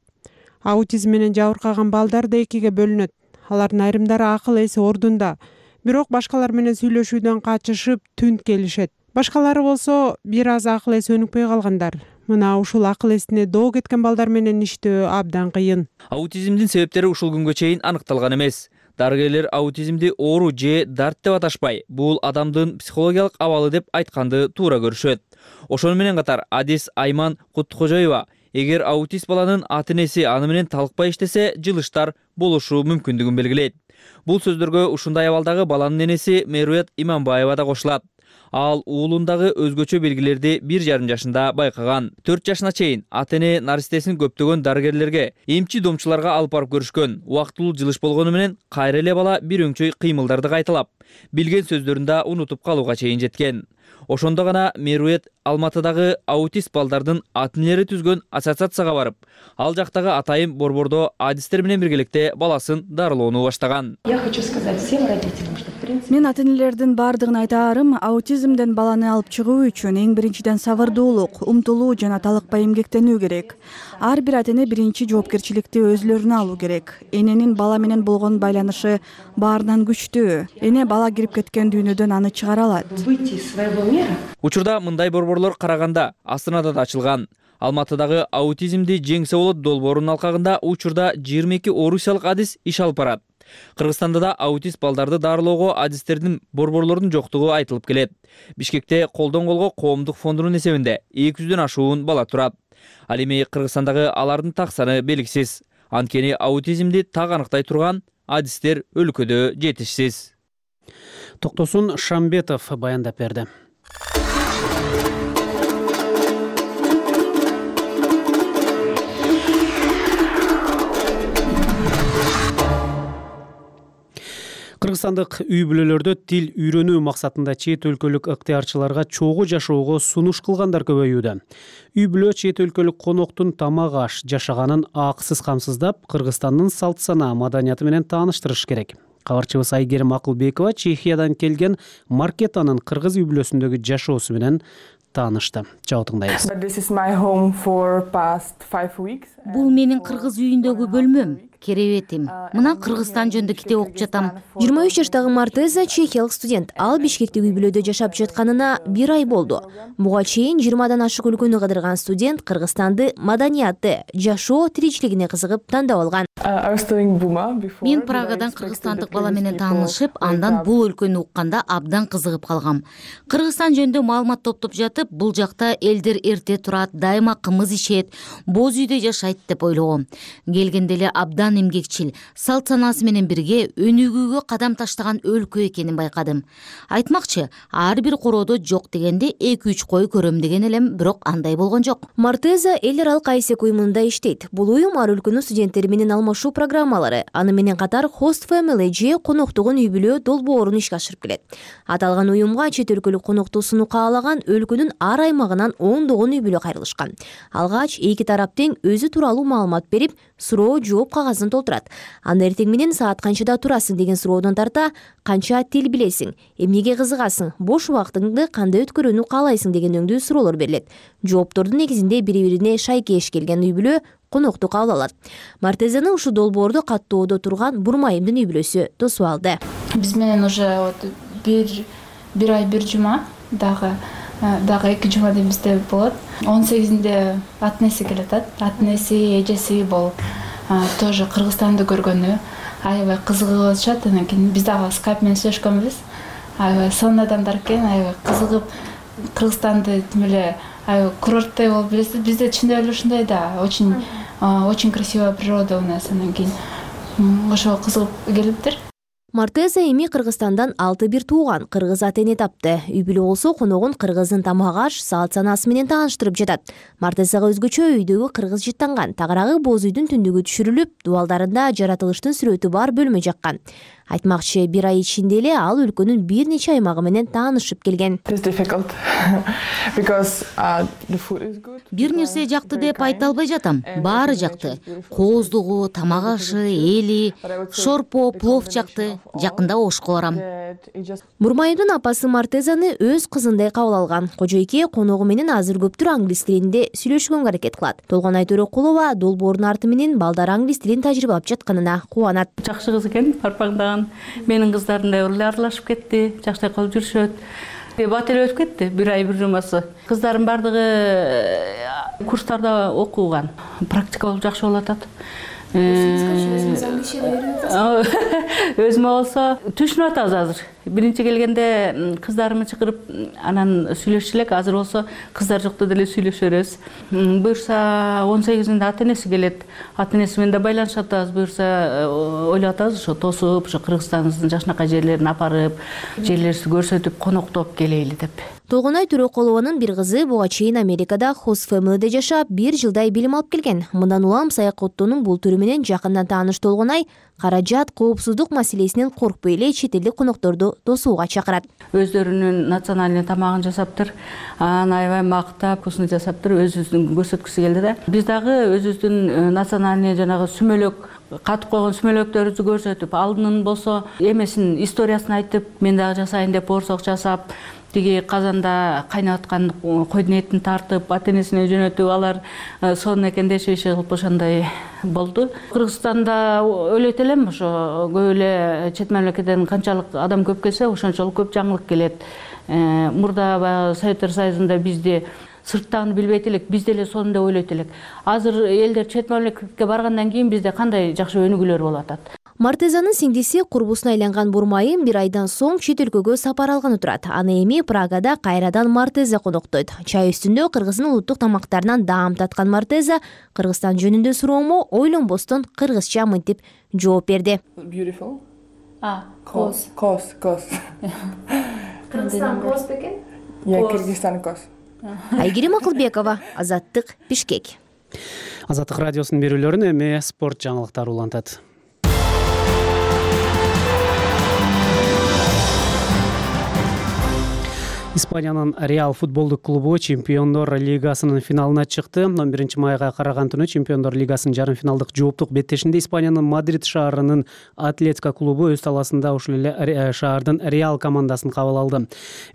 Аутизм менен жабыркаган балдар да экиге бөлүнөт. Алардын айрымдары акыл эси ордунда, бирок башкалар менен сүйлөшүүдөн качышып, түнт келишет. Башкалары болсо бир аз акыл эси өнүкпөй калгандар. Мына ушул акыл эсине доо кеткен балдар менен иштөө абдан кыйын. Аутизмдин себептери ушул күнгө чейин аныкталган эмес. Дарыгерлер аутизмди оору же дарт деп аташпай, бул адамдын психологиялык абалы деп айтканды туура көрүшөт. Ошону менен катар адис Айман Куттукожоева, эгер аутист баланын ата-энеси аны менен талыкпай иштесе, жылыштар болушу мүмкүндүгүн белгилейт. Бул сөздөргө ушундай абалдагы баланын энеси Меруят Иманбаева да кошулат. Ал уулундагы өзгөчө белгилерди бир жарым жашында байкаган. төрт жашына чейин ата-эне наристесин көптөгөн дарыгерлерге, эмчи домчуларга алып барып көрүшкөн. Убактылуу жылыш болгону менен кайра эле бала бир өңчөй кыймылдарды кайталап, билген сөздөрүн да унутуп калууга чейин жеткен. Ошондо гана Мерует Алматыдагы аутист балдардын ата-энелери түзгөн ассоциацияга барып, ал жактагы атайын борбордо адистер менен биргеликте баласын дарылоону баштаган. Я хочу сказать всем родителям, что в принципе мен ата-энелердин бардыгына айтаарым, аутизмден баланы алып чыгуу үчүн эң биринчиден сабырдуулук, умтулуу жана талыкпай эмгектенүү керек. Ар бир ата-эне биринчи жоопкерчиликти өзүлөрүнө алуу керек. Эненин бала менен болгон байланышы баарынан күчтүү. Эне бала кирип кеткен дүйнөдөн аны чыгара алат. Выйти из своего мира. Учурда мындай борборлор Караганда, Астанада да ачылган. Алматыдагы аутизмди жеңсе болот долбоорунун алкагында учурда жыйырма эки орусиялык адис иш алып барат. Кыргызстанда да аутист балдарды дарылоого адистердин, борборлордун жоктугу айтылып келет. Бишкекте колдон колго коомдук фондунун эсебинде эки жүздөн ашуун бала турат. Ал эми Кыргызстандагы алардын так саны белгисиз. Анткени аутизмди так аныктай турган адистер өлкөдө жетишсиз. Токтосун Шамбетов баяндап берди. Кыргызстандык үй бүлөлөрдө тил үйрөнүү максатында чет өлкөлүк ыктыярчыларга чогуу жашоого сунуш кылгандар көбөйүүдө. Үй бүлө чет өлкөлүк коноктун тамак аш жашаганын акысыз камсыздап, Кыргызстандын салт сана маданияты менен тааныштырыш керек. Кабарчыбыз Айгерим Акылбекова Чехиядан келген Маркетанын кыргыз үй бүлөсүндөгү жашоосу менен таанышты. Жабы тыңдайбыз. Бул менин кыргыз үйүндөгү бөлмөм, керебетим. Мына Кыргызстан жөнүндө китеп окуп жатам. жыйырма үч жаштагы Мартеза чехиялык студент. Ал Бишкекте үй бүлөдө жашап жатканына бир ай болду. Буга чейин жыйырмадан ашык өлкөнү кыдырган студент Кыргызстанды маданияты, жашоо тиричилигине кызыгып тандап алган. Мен Прагадан кыргызстандык бала менен таанышып, андан бул өлкөнү укканда абдан кызыгып калгам. Кыргызстан жөнүндө маалымат топтоп жатып, бул жакта элдер эрте турат, дайыма кымыз ишет, боз үйдө жашайт деп ойлогом. Келгенде эле абдан абдан эмгекчил, салт санаасы менен бирге өнүгүүгө кадам таштаган өлкө экенин байкадым. Айтмакчы, ар бир короодо жок дегенде эки үч кой көрөм деген элем, бирок андай болгон жок. Мартеза эл аралык айсек уюмунда иштейт. Бул уюм ар өлкөнүн студенттери менен алмашуу программалары, аны менен катар Host Family же коноктугун үй бүлө долбоорун ишке ашырып келет. Аталган уюмга чет өлкөлүк конокту сунуу каалаган өлкөнүн ар аймагынан ондогон үй бүлө кайрылышкан. Алгач эки тарап тең өзү тууралуу маалымат берип, суроо жооп кагазын толтурат. Анда эртең менен саат канчада турасың деген суроодон тарта, канча тил билесиң, эмнеге кызыгасың, бош убактыңды кандай өткөрүүнү каалайсың деген өңдүү суроолор берилет. Жооптордун негизинде бири-бирине шайкеш келген үй бүлө конокту кабыл алат. Мартезаны ушул долбоорду каттоодо турган Бурмайымдын үй бүлөсү тосуп алды. Биз менен уже вот бир бир ай бир жума дагы дагы эки жума бизде болот. он сегизинде атнеси келет. Атнеси, эжеси болуп тоже Кыргызстанды көргөнү аябай кызыгып атышат. Анан кийин биз дагы скайп менен сүйлөшкөнбүз. Аябай сонун адамдар экен, аябай кызыгып Кыргызстанды тим эле аябай курорттой болуп билесиз. Бизде чындап эле ушундай да, очень очень красивая природа у нас. Анан кийин ошого кызыгып келиптир. Мартеза эми Кыргызстандан алты бир тууган кыргыз ата-эне тапты. Үй бүлө болсо коногун кыргыздын тамак-аш, салт санаасы менен тааныштырып жатат. Мартезага өзгөчө үйдөгү кыргыз жыттанган. Тагыраагы боз үйдүн түндүгү түшүрүлүп, дубалдарында жаратылыштын сүрөтү бар бөлмө жаккан. Айтмакчы, бир ай ичинде эле ал өлкөнүн бир нече аймагы менен таанышып келген. Бир нерсе жакты деп айта албай жатам. Баары жакты. Кооздугу, тамак-ашы, эли, шорпо, плов жакты. Жакында ошко барам. Бурмайымдын апасы Мартезаны өз кызындай кабыл алган. Кожойке коногу менен азыр көптүр англис тилинде сүйлөшкөнгө аракет кылат. Толгонай Төрөкулова долбоордун арты менен балдар англис тилин тажрыйбалап жатканына кубанат. Жакшы кыз экен, парпаңдаган. Менин кыздарымдай эле аралашып кетти, жакшы кылып жүрүшөт. Бат эле өтүп кетти, бир ай бир жумасы. Кыздарым бардыгы курстарда окуган. Практика болуп жакшы болуп атат. Өзүмө болсо түшүнүп атабыз азыр. Биринчи келгенде кыздарымды чакырып анан сүйлөшчү элек, азыр болсо кыздар жокто деле сүйлөшө беребиз. Буюрса он сегизинде ата-энеси келет. Ата-энеси менен да байланышып атабыз. Буюрса ойлоп атабыз ошо тосуп, ошо Кыргызстандын жакшынакай жерлерин апарып, жерлерибизди көрсөтүп, коноктоп келели деп. Толгонай Төрөкулованын бир кызы буга чейин Америкада Host Family'де жашап, бир жылдай билим алып келген. Мындан улам саякаттоонун бул түрү менен жакындан тааныш Толгонай каражат, коопсуздук маселесинен коркпой эле чет элдик конокторду тосууга чакырат. Өздөрүнүн национальный тамагын жасаптыр, анан аябай мактап, вкусно жасаптыр, өзүбүздүн көрсөткүсү келди да. Биз дагы өзүбүздүн национальный жанагы сүмөлөк, катып койгон сүмөлөктөрүбүздү көрсөтүп, алдынын болсо эмесин, историясын айтып, мен дагы жасайын деп борсок жасап, тиги казанда кайнап аткан койдун этин тартып, ата-энесине жөнөтүп, алар сонун экен дешип кылып ошондой болду. Кыргызстанда ойлойт элем, ошо көп эле чет мамлекеттен канчалык адам көп келсе, ошончолук көп жаңылык келет. Мурда баягы Советтер Союзунда бизди сырттан билбейт элек, биз деле сонун деп ойлойт элек. Азыр элдер чет мамлекетке баргандан кийин бизде кандай жакшы өнүгүүлөр болуп атат. Мартезанын сиңдиси курбусуна айланган Бурмайым бир айдан соң чет өлкөгө сапар алганы турат. Аны эми Прагада кайрадан Мартеза коноктойт. Чай үстүндө Кыргыздын улуттук тамактарынан даам таткан Мартеза Кыргызстан жөнүндө суроомо ойлонбостон кыргызча мынтип жооп берди. Beautiful. А, коз, коз, коз. Кыргызстан коз бекен? Я Кыргызстан коз. Айгерим Акылбекова, Азаттык, Бишкек. Азаттык радиосунун берүүлөрүн эми спорт жаңылыктары улантат. Испаниянын Реал футболдук клубу Чемпиондор лигасынын финалына чыкты. он биринчи майга караган түнү Чемпиондор лигасынын жарым финалдык жооптук беттешинде Испаниянын Мадрид шаарынын Атлетико клубу өз талаасында ушул эле шаардын Реал командасын кабыл алды.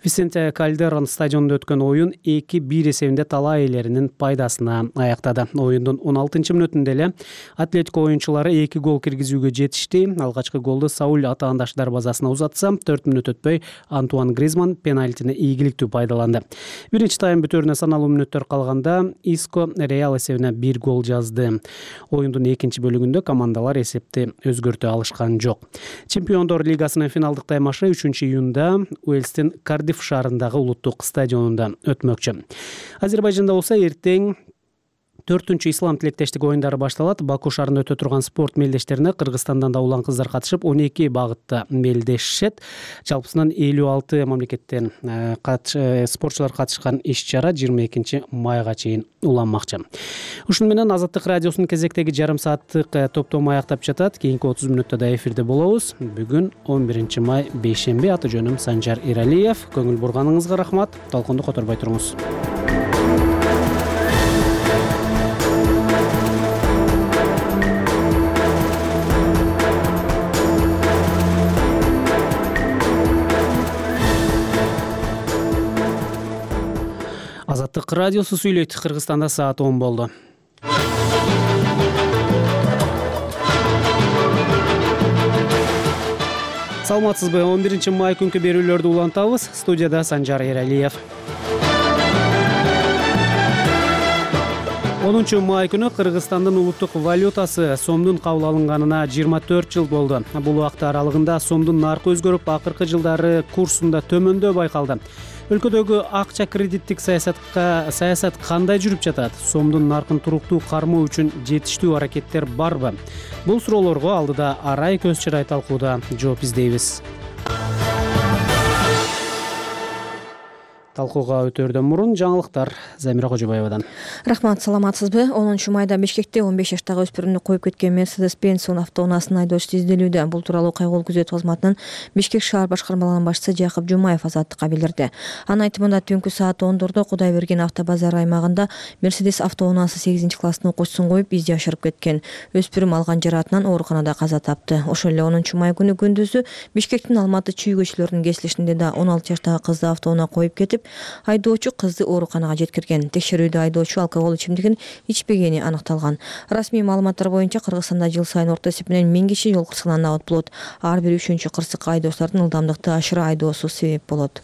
Висенте Кальдерон стадионунда өткөн оюн эки бир эсебинде талаа ээлеринин пайдасына аяктады. Оюндун он алтынчы мүнөтүндө эле Атлетико оюнчулары эки гол киргизүүгө жетишти. Алгачкы голду Сауль атаандаш дарбазасына узатса, төрт мүнөт өтпөй Антуан Гризман пенальтини ийгиликтүү пайдаланды. Биринчи тайм бүтөөрүнө саналуу мүнөттөр калганда Иско Реал эсебине бир гол жазды. Оюндун экинчи бөлүгүндө командалар эсепти өзгөртө алышкан жок. Чемпиондор лигасынын финалдык таймашы үчүнчү июнда Уэльстин Кардиф шаарындагы улуттук стадионунда өтмөкчү. Азербайжанда болсо эртең төртүнчү ислам тилектештик оюндары башталат. Баку шаарында өтө турган спорт мелдештерине Кыргызстандан да улан кыздар катышып, он эки багытта мелдешишет. Жалпысынан элүү алты мамлекеттен спортчулар катышкан иш-чара жыйырма экинчи майга чейин уланмакчы. Ушуну менен Азаттык радиосунун кезектеги жарым сааттык топтому аяктап жатат. Кийинки отуз мүнөттө да эфирде болобуз. Бүгүн он биринчи май бейшемби. Аты жөнүм Санжар Иралиев. Көңүл бурганыңызга рахмат. Талконду которбой туруңуз. Азаттык радиосу сүйлөйт. Кыргызстанда саат он болду. Саламатсызбы? он биринчи май күнкү берүүлөрдү улантабыз. Студияда Санжар Эралиев. онунчу май күнү Кыргызстандын улуттук валютасы сомдун кабыл алынганына жыйырма төрт жыл болду. Бул убакыт аралыгында сомдун наркы өзгөрүп, акыркы жылдары курсунда төмөндөө байкалды. Өлкөдөгү акча кредиттик саясатка саясат кандай жүрүп жатат? Сомдун наркын туруктуу кармоо үчүн жетиштүү аракеттер барбы? Бул суроолорго алдыда арай көз чырай талкууда жооп издейбиз. Талкууга өтөөрдөн мурун жаңылыктар Замира Кожобаевадан. Рахмат, саламатсызбы? онунчу майда Бишкекте он беш жаштагы өспүрүмдү коюп кеткен Mercedes-Benz автоунаасынын айдоочусу изделүүдө. Бул тууралуу кайгылуу күзөтүү кызматынын Бишкек шаар башкармалыгынын башчысы Жакып Жумаев Азаттыкка билдирди. Анын айтымында түнкү саат ондордо Кудайберген автобазар аймагында Mercedes автоунаасы сегизинчи класстын окуучусун коюп изди ашырып кеткен. Өспүрүм алган жараатынан ооруканада каза тапты. Ошол эле онунчу май күнү күндүзү Бишкектин Алматы чүй көчөлөрүнүн кесилишинде да он алты жаштагы кызды автоунаа коюп кетип, айдоочу кызды ооруканага жеткирген. Текшерүүдө айдоочу алкогол ичимдигин ичпегени аныкталган. Расмий маалыматтар боюнча Кыргызстанда жыл сайын орто эсеп менен миң киши жол кырсыгынан абат болот. Ар бир үчүнчү кырсыкка айдоочулардын ылдамдыкты ашыра айдоосу себеп болот.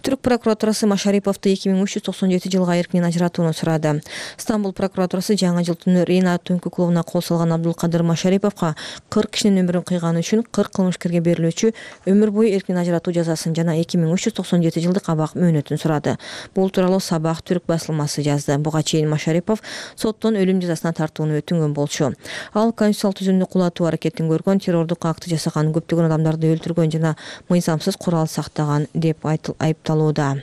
Түрк прокуратурасы Машариповду эки миң үч жүз токсон жети жылга эркинен ажыратууну сурады. Стамбул прокуратурасы жаңы жыл түнү Рейна түнкү клубуна кол салган Абдулкадыр Машариповго кырк кишинин өмүрүн кыйганы үчүн кырк кылмышкерге берилүүчү өмүр бою эркинен ажыратуу жазасын жана эки миң үч жүз токсон жети жылдык абак мөөнөтүн сурады. Бул тууралуу Сабах түрк басылмасы жазды. Буга чейин Машарипов соттон өлүм жазасына тартууну өтүнгөн болчу. Ал конституциялык түзүмдү кулатуу аракетин көргөн, террордук акты жасаган, көптөгөн адамдарды өлтүргөн жана мыйзамсыз курал сактаган деп айыпталууда.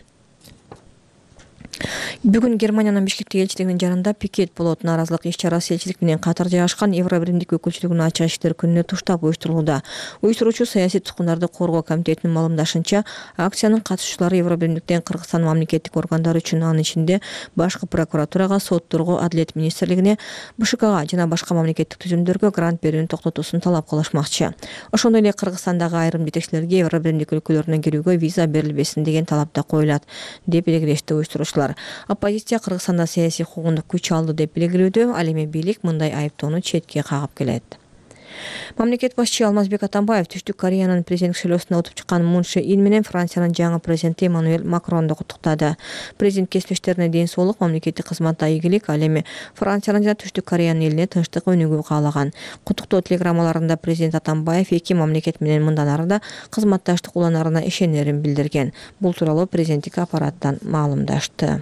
Бүгүн Германиянын Бишкектеги элчилигинин жанында пикет болот. Нааразылык иш-чарасы элчилик менен катар жайгашкан Евробиримдик өкүлчүлүгүнүн ачык иштер күнүнө туштап уюштурулууда. Уюштуруучу саясий туткундарды коргоо комитетинин маалымдашынча, акциянын катышуучулары Евробиримдиктен Кыргызстан мамлекеттик органдары үчүн, анын ичинде башкы прокуратурага, сотторго, Адилет министрлигине, Б Ш Кга жана башка мамлекеттик түзүмдөргө грант берүүнү токтотуусун талап кылышмакчы. Ошондой эле Кыргызстандагы айрым жетекчилерге Евробиримдик өлкөлөрүнө кирүүгө виза берилбесин деген талап да коюлат, деп белгилешти уюштуруучулар. Оппозиция Кыргызстанда саясий куугундук күч алды деп белгилөөдө, ал эми бийлик мындай айыптоону четке кагып келет. Мамлекет башчы Алмазбек Атамбаев Түштүк Кореянын президент шайлоосуна утуп чыккан Мун Чже Ин менен Франциянын жаңы президенти Эммануэль Макронду куттуктады. Президент кесиптештерине ден соолук, мамлекеттик кызматта ийгилик, ал эми Франциянын жана Түштүк Кореянын элине тынчтык өнүгүү каалаган. Куттуктоо телеграммаларында президент Атамбаев эки мамлекет менен мындан ары да кызматташтык уланарына ишенерин билдирген. Бул тууралуу президенттик аппараттан маалымдашты.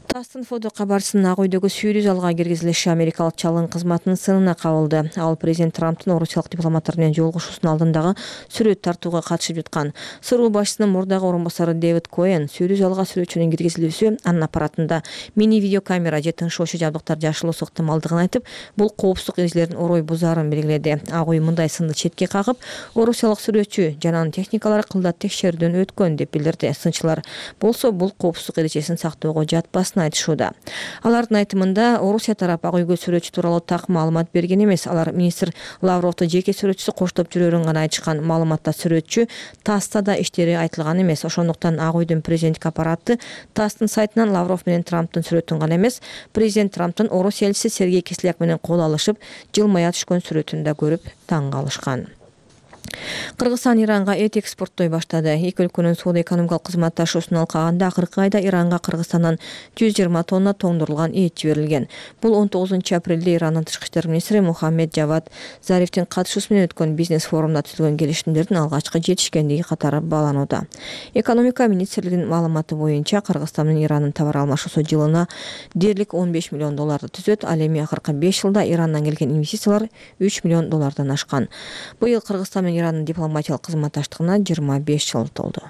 Тастын фото кабарчысынын Ак үйдөгү сүйрүү залга киргизилиши америкалык чалгын кызматынын сынына кабылды. Ал президент Трамптын орусиялык дипломаттар менен жолугушуусунун алдындагы сүрөт тартууга катышып жаткан. СРУ башчысынын мурдагы орун басары Дэвид Коэн сүйрүү залга сүрөтчүнүн киргизилүүсү анын аппаратында мини видеокамера же тынчоочу жабдыктар жашылуусу ыктымалдыгын айтып, бул коопсуздук эрежелерин орой бузаарын белгиледи. Ак үй мындай сынды четке кагып, орусиялык сүрөтчү жана анын техникалары кылдат текшерүүдөн өткөн деп билдирди. Сынчылар болсо бул коопсуздук эрежесин сактоого жатпасын айтышууда. Алардын айтымында Орусия тарап Ак үйгө сүрөтчү тууралуу так маалымат берген эмес. Алар министр Лавровду жеке сүрөтчүсү коштоп жүрөрүн гана айтышкан. Маалыматта сүрөтчү ТАССта да иштери айтылган эмес. Ошондуктан Ак үйдүн президенттик аппараты ТАССтын сайтынан Лавров менен Трамптын сүрөтүн гана эмес, президент Трамптын Орусия элчиси Сергей Кисляк менен кол алышып, жылмая түшкөн сүрөтүн да көрүп таң калышкан. Кыргызстан Иранга эт экспорттой баштады. Эки өлкөнүн соода экономикалык кызматташуусун алкаганда акыркы айда Иранга Кыргызстандан жүз жыйырма тонна тоңдурулган эт жиберилген. Бул он тогузунчу апрелде Ирандын тышкы иштер министри Мухаммед Жавад Зарифтин катышуусу менен өткөн бизнес форумда түзүлгөн келишимдердин алгачкы жетишкендиги катары бааланууда. Экономика министрлигинин маалыматы боюнча Кыргызстан менен Ирандын товар алмашуусу жылына дээрлик он беш миллион долларды түзөт. Ал эми акыркы беш жылда Ирандан келген инвестициялар үч миллион доллардан ашкан. Быйыл Кыргызстан менен Ирандын дипломатиялык кызматташтыгына жыйырма беш жыл толду.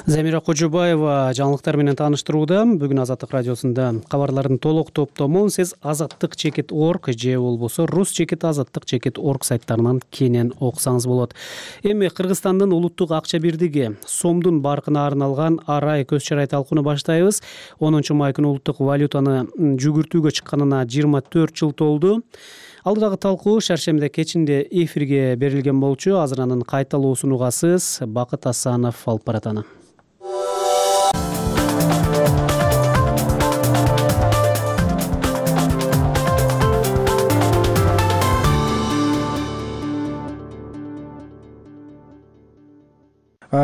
Замира Кожобаева жаңылыктар менен тааныштырууда. Бүгүн Азаттык радиосунда кабарлардын толук топтомун сиз азаттык чекит точка орг же болбосо рус чекит азаттык чекит точка орг сайттарынан кенен окусаңыз болот. Эми Кыргызстандын улуттук акча бирдиги сомдун баркына арналган арай көз чарай талкууну баштайбыз. онунчу май күнү улуттук валютаны жүгүртүүгө чыкканына жыйырма төрт жыл толду. Алдыдагы талкуу шаршемби кечинде эфирге берилген болчу. Азыр анын кайталоосун угасыз. Бакыт Асанов алып барат аны.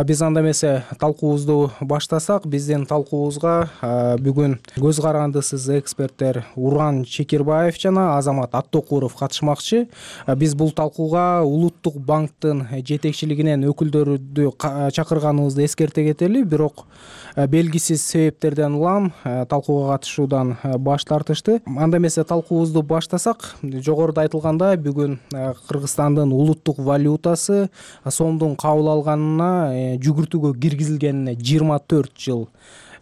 Биз анда эмесе талкуубузду баштасак, биздин талкуубузга бүгүн көз карандысыз эксперттер Уран Чекирбаев жана Азамат Аттокуров катышмакчы. Биз бул талкууга Улуттук банктын жетекчилигинен өкүлдөрдү чакырганыбызды эскерте кетели, бирок белгисиз себептерден улам талкууга катышуудан баш тартышты. Анда эмесе талкуубузду баштасак, жогоруда айтылгандай, бүгүн Кыргызстандын улуттук валютасы сомдун кабыл алганына жүгүртүүгө киргизилгенине жыйырма төрт жыл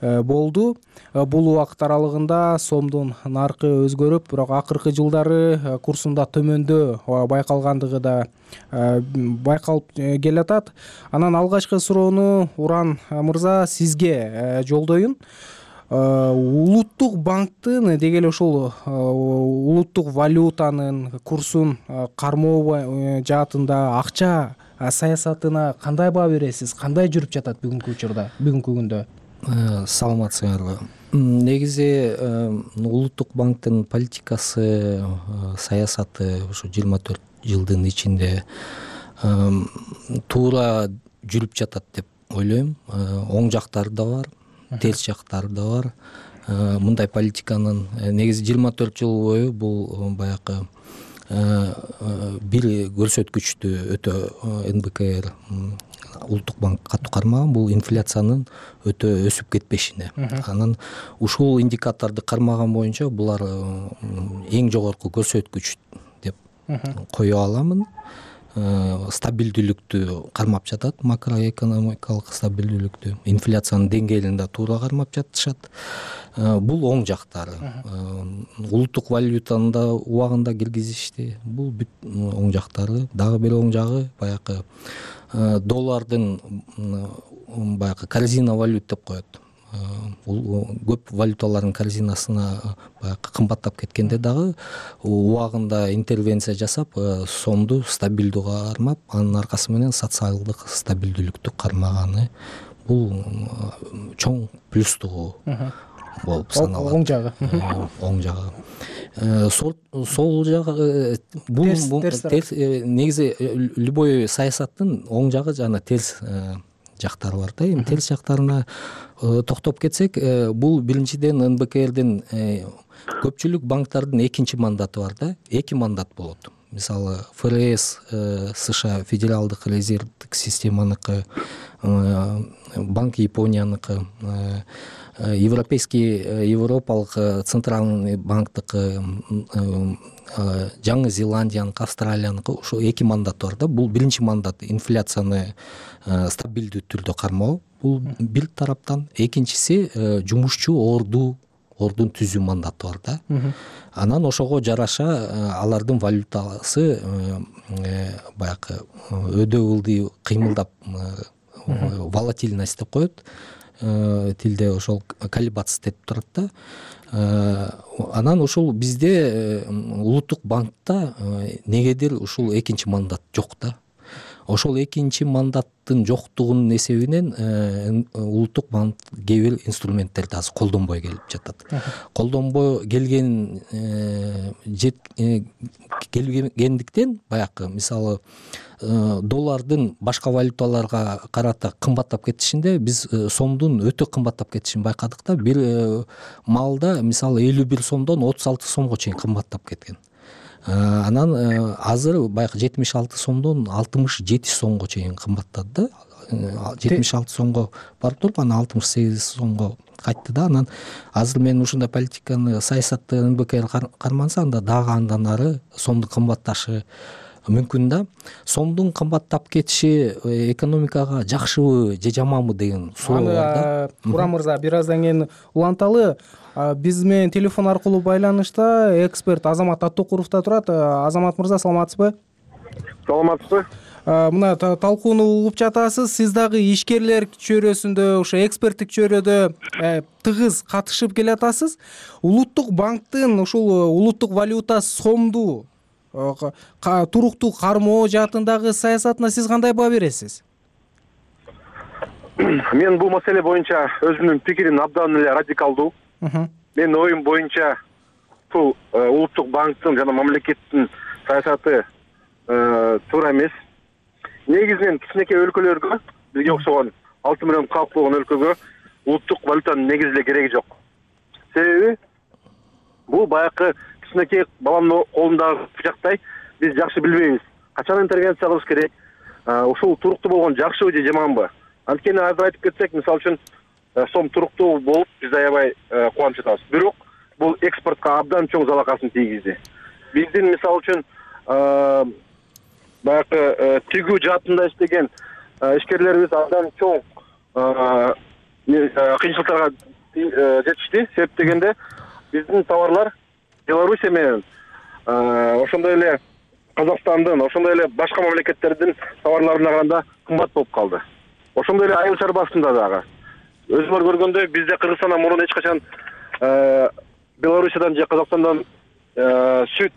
болду. Бул убакыт аралыгында сомдун наркы өзгөрүп, бирок акыркы жылдары курсунда төмөндөө байкалгандыгы да байкалып келатат. Анан алгачкы суроону Уран мырза сизге жолдоюн. Улуттук банктын деги эле ушул улуттук валютанын курсун кармоо жаатында акча саясатына кандай баа бересиз? Кандай жүрүп жатат бүгүнкү учурда, бүгүнкү күндө? Саламатсыңарбы. Негизи Улуттук банктын политикасы, саясаты ушу жыйырма төрт жылдын ичинде туура жүрүп жатат деп ойлойм. Оң жактары да бар, терс жактары да бар. Мындай политиканын негизи жыйырма төрт жыл бою бул баягы бир көрсөткүчтү өтө эн бэ ка эр Улуттук банк катуу кармаган, бул инфляциянын өтө өсүп кетпешине. Анан ушул индикаторду кармаган боюнча булар эң жогорку көрсөткүч деп кое аламын. Стабилдүүлүктү кармап жатат, макроэкономикалык стабилдүүлүктү, инфляциянын деңгээлин да туура кармап жатышат. Бул оң жактары. Улуттук валютаны да убагында киргизишти. Бул бүт оң жактары. Дагы бир оң жагы баягы доллардын баягы корзина валют деп коет. Бул көп валюталардын корзинасына баягы кымбаттап кеткенде дагы убагында интервенция жасап, сомду стабилдүү кармап, анын аркасы менен социалдык стабилдүүлүктү кармаганы бул чоң плюстугу болуп саналат. Оң жагы. Оң жагы. Сол жагы бул негизи любой саясаттын оң жагы жана терс жактары бар да. Эми терс жактарына токтоп кетсек, бул биринчиден эн бэ ка эрдин көпчүлүк банктардын экинчи мандаты бар да. Эки мандат болот. Мисалы эф эр эс США федералдык резервдик системаныкы, Банк Японияныкы, Европейский Европалык центральный банктыкы, Жаңы Зеландияныкы, Австралияныкы, ошо эки мандат бар да. Бул биринчи мандат инфляцияны стабилдүү түрдө кармоо. Бул бир тараптан. Экинчиси жумушчу орду ордун түзүү мандаты бар да. Анан ошого жараша алардын валютасы баягы өдө ылдый кыймылдап, волатильность деп коет. Тилде ошол колебаться деп турат да. Анан ушул бизде Улуттук банкта негедир ушул экинчи мандат жок да. Ошол экинчи мандаттын жоктугунун эсебинен Улуттук банк кээ бир инструменттерди азыр колдонбой келип жатат. Колдонбой келген келгендиктен баягы мисалы доллардын башка валюталарга карата кымбаттап кетишинде биз сомдун өтө кымбаттап кетишин байкадык да. Бир маалда мисалы элүү бир сомдон отуз алты сомго чейин кымбаттап кеткен. Анан азыр баягы жетимиш алты сомдон алтымыш жети сомго чейин кымбаттады да. жетимиш алты сомго барып туруп анан алтымыш сегиз сомго кайтты да. Анан азыр мен ушундай политиканы, саясатты ынбекер карманса, анда дагы андан ары сомдун кымбатташы мүмкүн да. Сомдун кымбаттап кетиши экономикага жакшыбы же жаманбы деген суроо бар да. Урам мырза, бир аздан кийин уланталы. Биз менен телефон аркылуу байланышта эксперт Азамат Аттокуров да турат. Азамат мырза, саламатсызбы? Саламатсызбы? Мына талкууну угуп жатасыз. Сиз дагы ишкерлер чөйрөсүндө, ошо эксперттик чөйрөдө тыгыз катышып келатасыз. Улуттук банктын ушул улуттук валюта сомду туруктуу кармоо жаатындагы саясатына сиз кандай баа бересиз? Мен бул маселе боюнча өзүмдүн пикирим абдан эле радикалдуу. Менин оюм боюнча бул улуттук банктын жана мамлекеттин саясаты туура эмес. Негизинен кичинекей өлкөлөргө, бизге окшогон алты миллион калк болгон өлкөгө улуттук валютанын негизи эле кереги жок. Себеби бул баягы кичинекей баланын колундагы бычактай биз жакшы билбейбиз. Качан интервенция кылыш керек? Ушул туруктуу болгон жакшыбы же жаманбы? Анткени азыр айтып кетсек, мисалы үчүн сом туруктуу болуп биз аябай кубанып жатабыз. Бирок бул экспортко абдан чоң залакасын тийгизди. Биздин мисалы үчүн баягы тигүү жаатында иштеген ишкерлерибиз абдан чоң кыйынчылыктарга жетишти. Себеп дегенде биздин товарлар Белоруссия менен ошондой эле Казакстандын, ошондой эле башка мамлекеттердин товарларына караганда кымбат болуп калды. Ошондой эле айыл чарбасында дагы. Өзүңөр көргөндөй бизде Кыргызстандан мурун эч качан Белоруссиядан же Казакстандан сүт,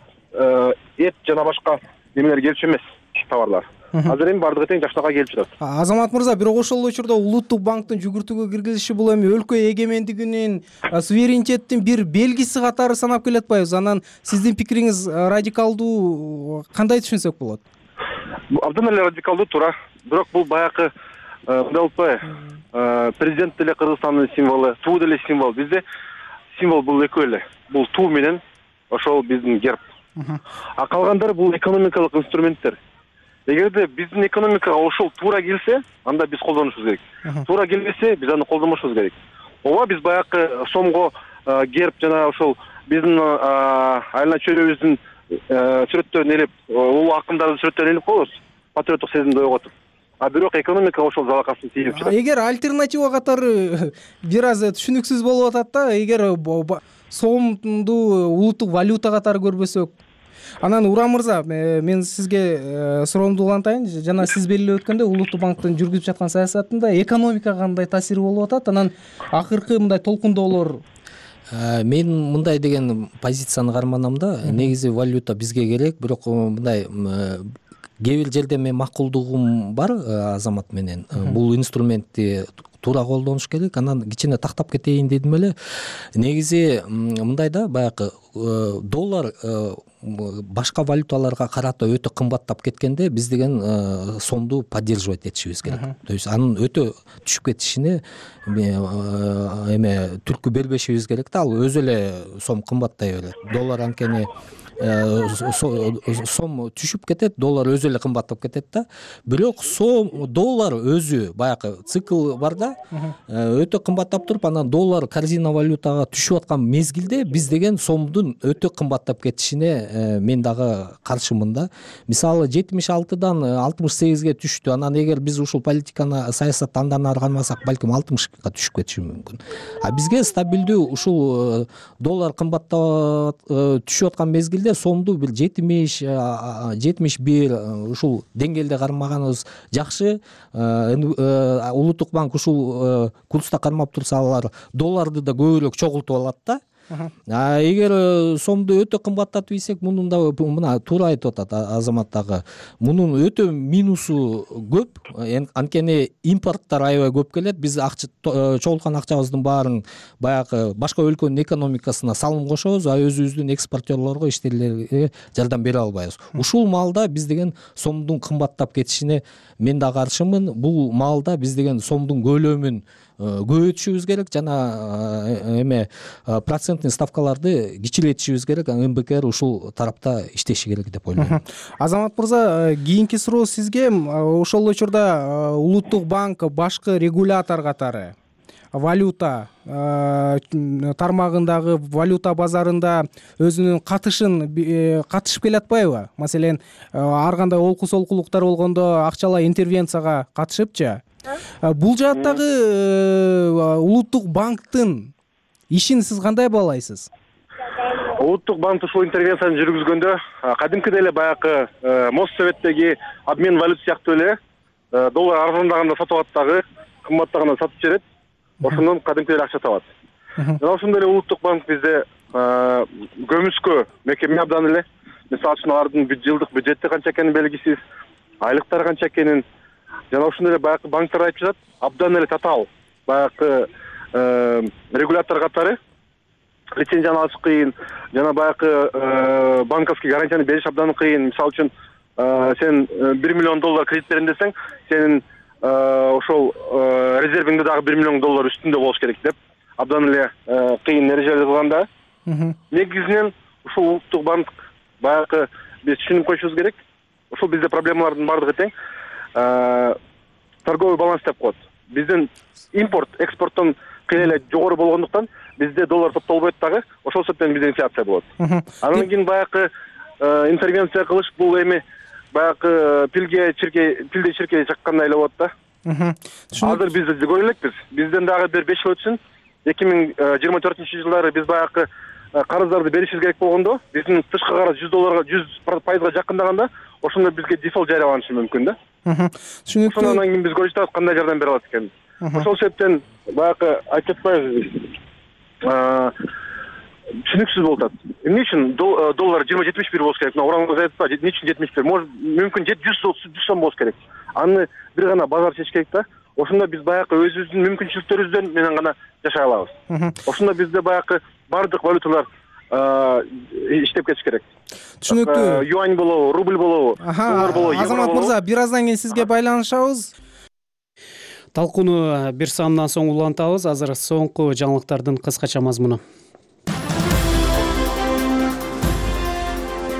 эт жана башка немелер келчү эмес товарлар. Азыр эми бардыгы тең жакшынакай келип жатат. Азамат мырза, бирок ошол учурда улуттук банктын жүгүртүүгө киргизиши бул эми өлкө эгемендигинин, суверенитеттин бир белгиси катары санап келе атпайбыз. Анан сиздин пикириңиз радикалдуу, кандай түшүнсөк болот? Абдан эле радикалдуу, туура. Бирок бул баягы мындай болуппайбы? Президент деле Кыргызстандын символу, туу деле символ. Бизде символ бул экөө эле. Бул туу менен ошол биздин герб. А калгандары бул экономикалык инструменттер. Эгерде биздин экономикага ошол туура келсе, анда биз колдонушубуз керек. Туура келбесе, биз аны колдонбошубуз керек. Ооба, биз баягы сомго герб жана ошол биздин айылна чөйрөбүздүн сүрөттөрүн элеп, улуу акындардын сүрөттөрүн элеп коебуз, патриоттук сезимди ойготуп. А бирок экономика ошол залакасын тийип жатат. Эгер альтернатива катары бир аз түшүнүксүз болуп атат да, эгер сомду улуттук валюта катары көрбөсөк. Анан Урам мырза, мен сизге суроомду улантайын. Жана сиз белгилеп өткөндөй, улуттук банктын жүргүзүп жаткан саясатында экономикага кандай таасири болуп атат? Анан акыркы мындай толкундоолор. Мен мындай деген позицияны карманам да. Негизи валюта бизге керек, бирок мындай кээ бир жерде мен макулдугум бар Азамат менен. Бул инструментти туура колдонуш керек. Анан кичине тактап кетейин дедим эле. Негизи мындай да, баягы доллар башка валюталарга карата өтө кымбаттап кеткенде биз деген сомду поддерживать этишибиз керек. То есть анын өтө түшүп кетишине эме түрткү бербешибиз керек да. Ал өзү эле сом кымбаттай берет. Доллар анткени сом түшүп кетет, доллар өзү эле кымбаттап кетет да. Бирок сом доллар өзү баягы цикл бар да, өтө кымбаттап туруп, анан доллар корзина валютага түшүп аткан мезгилде биз деген сомдун өтө кымбаттап кетишине мен дагы каршымын да. Мисалы жетимиш алтыдан алтымыш сегизге түштү. Анан эгер биз ушул политиканы, саясатты андан ары кармасак, балким алтымышка түшүп кетиши мүмкүн. А бизге стабилдүү ушул доллар кымбаттап түшүп аткан мезгилде сомду бир жетимиш жетимиш бир ушул деңгээлде кармаганыбыз жакшы. Улуттук банк ушул курста кармап турса, алар долларды да көбүрөөк чогултуп алат да. А эгер сомду өтө кымбаттатып ийсек, мунун да мына туура айтып атат Азамат дагы. Мунун өтө минусу көп. Анткени импорттор аябай көп келет. Биз акча чогулткан акчабыздын баарын баягы башка өлкөнүн экономикасына салым кошобуз, а өзүбүздүн экспортерлорго, иштелерге жардам бере албайбыз. Ушул маалда биз деген сомдун кымбаттап кетишине мен да каршымын. Бул маалда биз деген сомдун көлөмүн көбөйтүшүбүз керек жана эме проценттик ставкаларды кичиретишибиз керек. эм бэ к р ушул тарапта иштеши керек деп ойлойм. Азамат мырза, кийинки суроо сизге. Ошол учурда Улуттук банк башкы регулятор катары валюта тармагындагы валюта базарында өзүнүн катышын катышып келатпайбы? Маселен, ар кандай олку солкулуктар болгондо акчалай интервенцияга катышыпчы. Бул жааттагы Улуттук банктын ишин сиз кандай баалайсыз? Улуттук банк ушул интервенцияны жүргүзгөндө кадимкидей эле баягы Моссоветтеги обмен валют сыяктуу эле доллар арзандаганда сатып алат дагы, кымбаттаганда сатып жиберет. Ошондон кадимкидей эле акча табат. Жана ошондой эле Улуттук банк бизде көмүскө мекеме абдан эле. Мисалы үчүн алардын жылдык бюджети канча экени белгисиз, айлыктары канча экенин жана ошондой эле баягы банктар айтып жатат, абдан эле татаал баягы регулятор катары лицензияны алыш кыйын, жана баягы банковский гарантияны бериш абдан кыйын. Мисалы үчүн сен бир миллион доллар кредит берем десең, сенин ошол резервиңде дагы бир миллион доллар үстүндө болуш керек деп абдан эле кыйын эрежелер кылганда, негизинен ушул Улуттук банк баягы биз түшүнүп коюшубуз керек. Ушул бизде проблемалардын баардыгы тең торговый баланс деп коет. Биздин импорт экспорттон кыйла эле жогору болгондуктан бизде доллар топтолбойт дагы, ошол себептен бизде инфляция болот. Анан кийин баягы интервенция кылыш бул эми баягы пилге чиркей, пилде чиркей чаккандай эле болот да. Азыр биз көрө элекпиз. Бизден дагы бир беш жыл өтсүн, эки миң жыйырма төртүнчү жылдары биз баягы карыздарды беришибиз керек болгондо, биздин тышкы карыз жүз долларга, жүз пайызга жакындаганда, ошондо бизге дефолт жарыяланышы мүмкүн да. Түшүнүктүү. Ошондон кийин биз көрүп жатабыз кандай жардам бере алат экенин. Ошол себептен баягы айтып атпайбыз. Түшүнүксүз болуп атат. Эмне үчүн доллар жыйырма жетимиш бир болуш керек? Мына урамыңыз айтып атпайбы? Эмне үчүн жетимиш бир? Может, мүмкүн жүз сом болуш керек. Аны бир гана базар чечиш керек да. Ошондо биз баягы өзүбүздүн мүмкүнчүлүктөрүбүздөн менен гана жашай алабыз. Ошондо бизде баягы бардык валюталар иштеп кетиш керек. Түшүнүктүү. Юань болобу, рубль болобу, доллар болобу, евро болобу. Азамат мырза, бир аздан кийин сизге байланышабыз. Талкууну бир саамдан соң улантабыз. Азыр соңку жаңылыктардын кыскача мазмуну.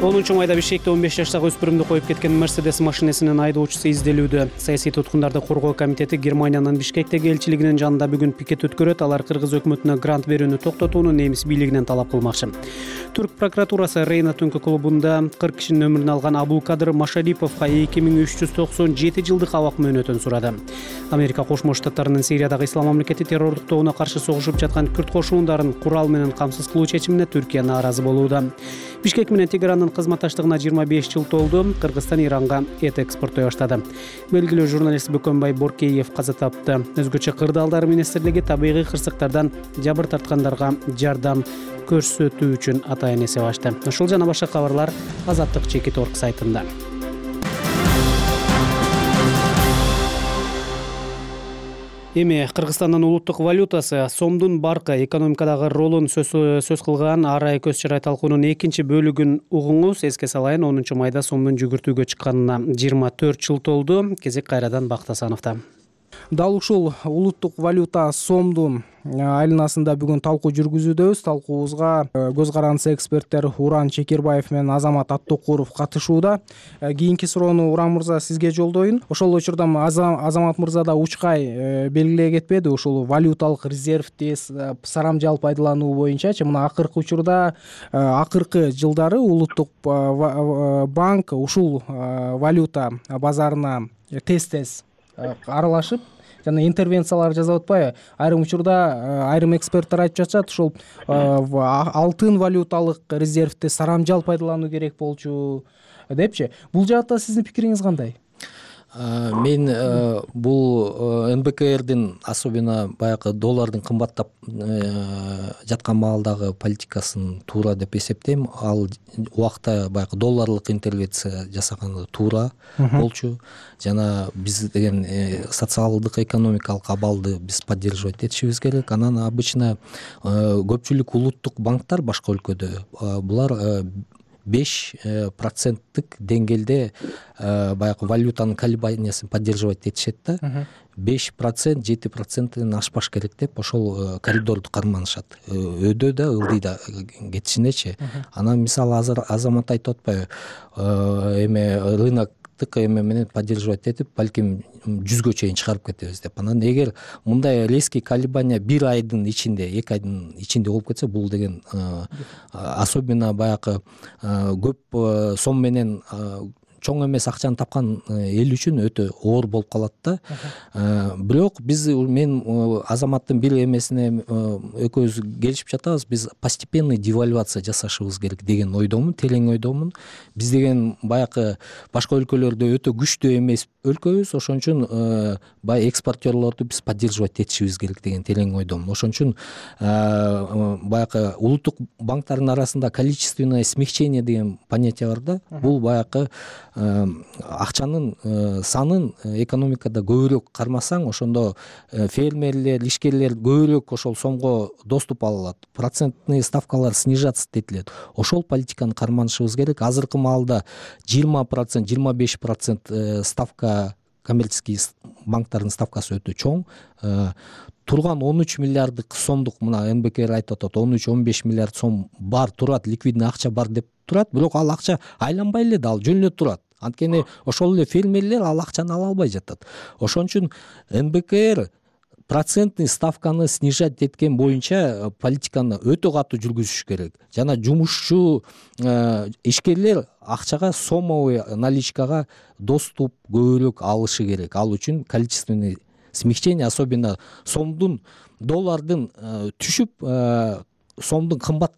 онунчу майда Бишкекте он беш жаштагы өспүрүмдү коюп кеткен Мерседес машинесинин айдоочусу изделүүдө. Саясий туткундарды коргоо комитети Германиянын Бишкектеги элчилигинин жанында бүгүн пикет өткөрөт. Алар кыргыз өкмөтүнө грант берүүнү токтотууну немис бийлигинен талап кылмакчы. Түрк прокуратурасы Рейна түнкү клубунда кырк кишинин өмүрүн алган Абулкадыр Машариповго эки миң үч жүз токсон жети жылдык абак мөөнөтүн сурады. Америка Кошмо Штаттарынын Сириядагы ислам мамлекети террордук тобуна каршы согушуп жаткан күрд кошуундарын курал менен камсыз кылуу чечимине Түркия нааразы болууда. Бишкек менен Тегерандын кызматташтыгына жыйырма беш жыл толду. Кыргызстан Иранга эт экспорттой баштады. Белгилүү журналист Бөкөнбай Боркеев каза тапты. Өзгөчө кырдаалдар министрлиги табигый кырсыктардан жабыр тарткандарга жардам көрсөтүү үчүн атайын эсеп ачты. Ушул жана башка кабарлар Азаттык чекит орг сайтында. Эми Кыргызстандын улуттук валютасы сомдун баркы экономикадагы ролун сөз кылган арай көз чырай талкуунун экинчи бөлүгүн угуңуз. Эске салайын, онунчу майда сомдун жүгүртүүгө чыкканына жыйырма төрт жыл толду. Кезек кайрадан Бактасановдо. Дал ушул улуттук валюта сомдун айланасында бүгүн талкуу жүргүзүүдөбүз. Талкуубузга көз карандысы эксперттер Уран Чекербаев менен Азамат Аттокуров катышууда. Кийинки суроону Уран мырза сизге жолдоюн. Ошол учурда Азамат мырза да учкай белгилей кетпеди. Ушул валюталык резервди сарамжал пайдалануу боюнчачы. Мына акыркы учурда, акыркы жылдары улуттук банк ушул валюта базарына тез-тез аралашып жана интервенциялар жасап атпайбы? Айрым учурда айрым эксперттер айтып жатышат, ушул алтын валюталык резервди сарамжал пайдалануу керек болчу депчи. Бул жаатта сиздин пикириңиз кандай? мен бул эн бэ ка эрдин особенно баягы доллардын кымбаттап жаткан маалдагы политикасын туура деп эсептейм. Ал убакта баягы долларлык интервенция жасаганы туура болчу. Жана биз деген социалдык экономикалык абалды биз поддерживать этишибиз керек. Анан обычно көпчүлүк улуттук банктар башка өлкөдө булар беш проценттик деңгээлде баягы валютанын колебаниясын поддерживать этишет да. беш процент жети проценттен ашпаш керек деп ошол коридорду карманышат. Өйдө да ылдый да кетишинечи. Анан мисалы азыр Азамат айтып атпайбы, эме рынок эме менен поддерживать этип балким жүзгө чейин чыгарып кетебиз деп. Анан эгер мындай резкий колебания бир айдын ичинде, эки айдын ичинде болуп кетсе, бул деген особенно баягы көп сом менен чоң эмес акчаны тапкан эл үчүн өтө оор болуп калат да. Бирок биз мен Азаматтын бир эмесине экөөбүз келишип жатабыз. Биз постепенный девальвация жасашыбыз керек деген ойдомун, терең ойдомун. Биз деген баягы башка өлкөлөрдө өтө күчтүү эмес өлкөбүз. Ошон үчүн баягы экспортерлорду биз поддерживать этишибиз керек деген терең ойдомун. Ошон үчүн баягы улуттук банктардын арасында количественное смягчение деген понятие бар да. Бул баягы акчанын санын экономикада көбүрөөк кармасаң, ошондо фермерлер, ишкерлер көбүрөөк ошол сомго доступ ала алат. Процентный ставкалар снижаться этилет. Ошол политиканы карманышыбыз керек. Азыркы маалда жыйырма процент, жыйырма беш процент ставка, коммерческий банктардын ставкасы өтө чоң. Турган он үч миллиарддык сомдук, мына эн бэ ка эр айтып атат, он үч он беш миллиард сом бар турат, ликвидный акча бар деп турат. Бирок ал акча айланбай эле да, ал жөн эле турат. Анткени ошол эле фермерлер ал акчаны ала албай жатат. Ошон үчүн эн бэ ка эр процентный ставканы снижать эткен боюнча политиканы өтө катуу жүргүзүш керек. Жана жумушчу ишкерлер акчага, сомовый наличкага доступ көбүрөөк алышы керек. Ал үчүн количественный смягчение, особенно сомдун, доллардын түшүп, сомдун кымбаттап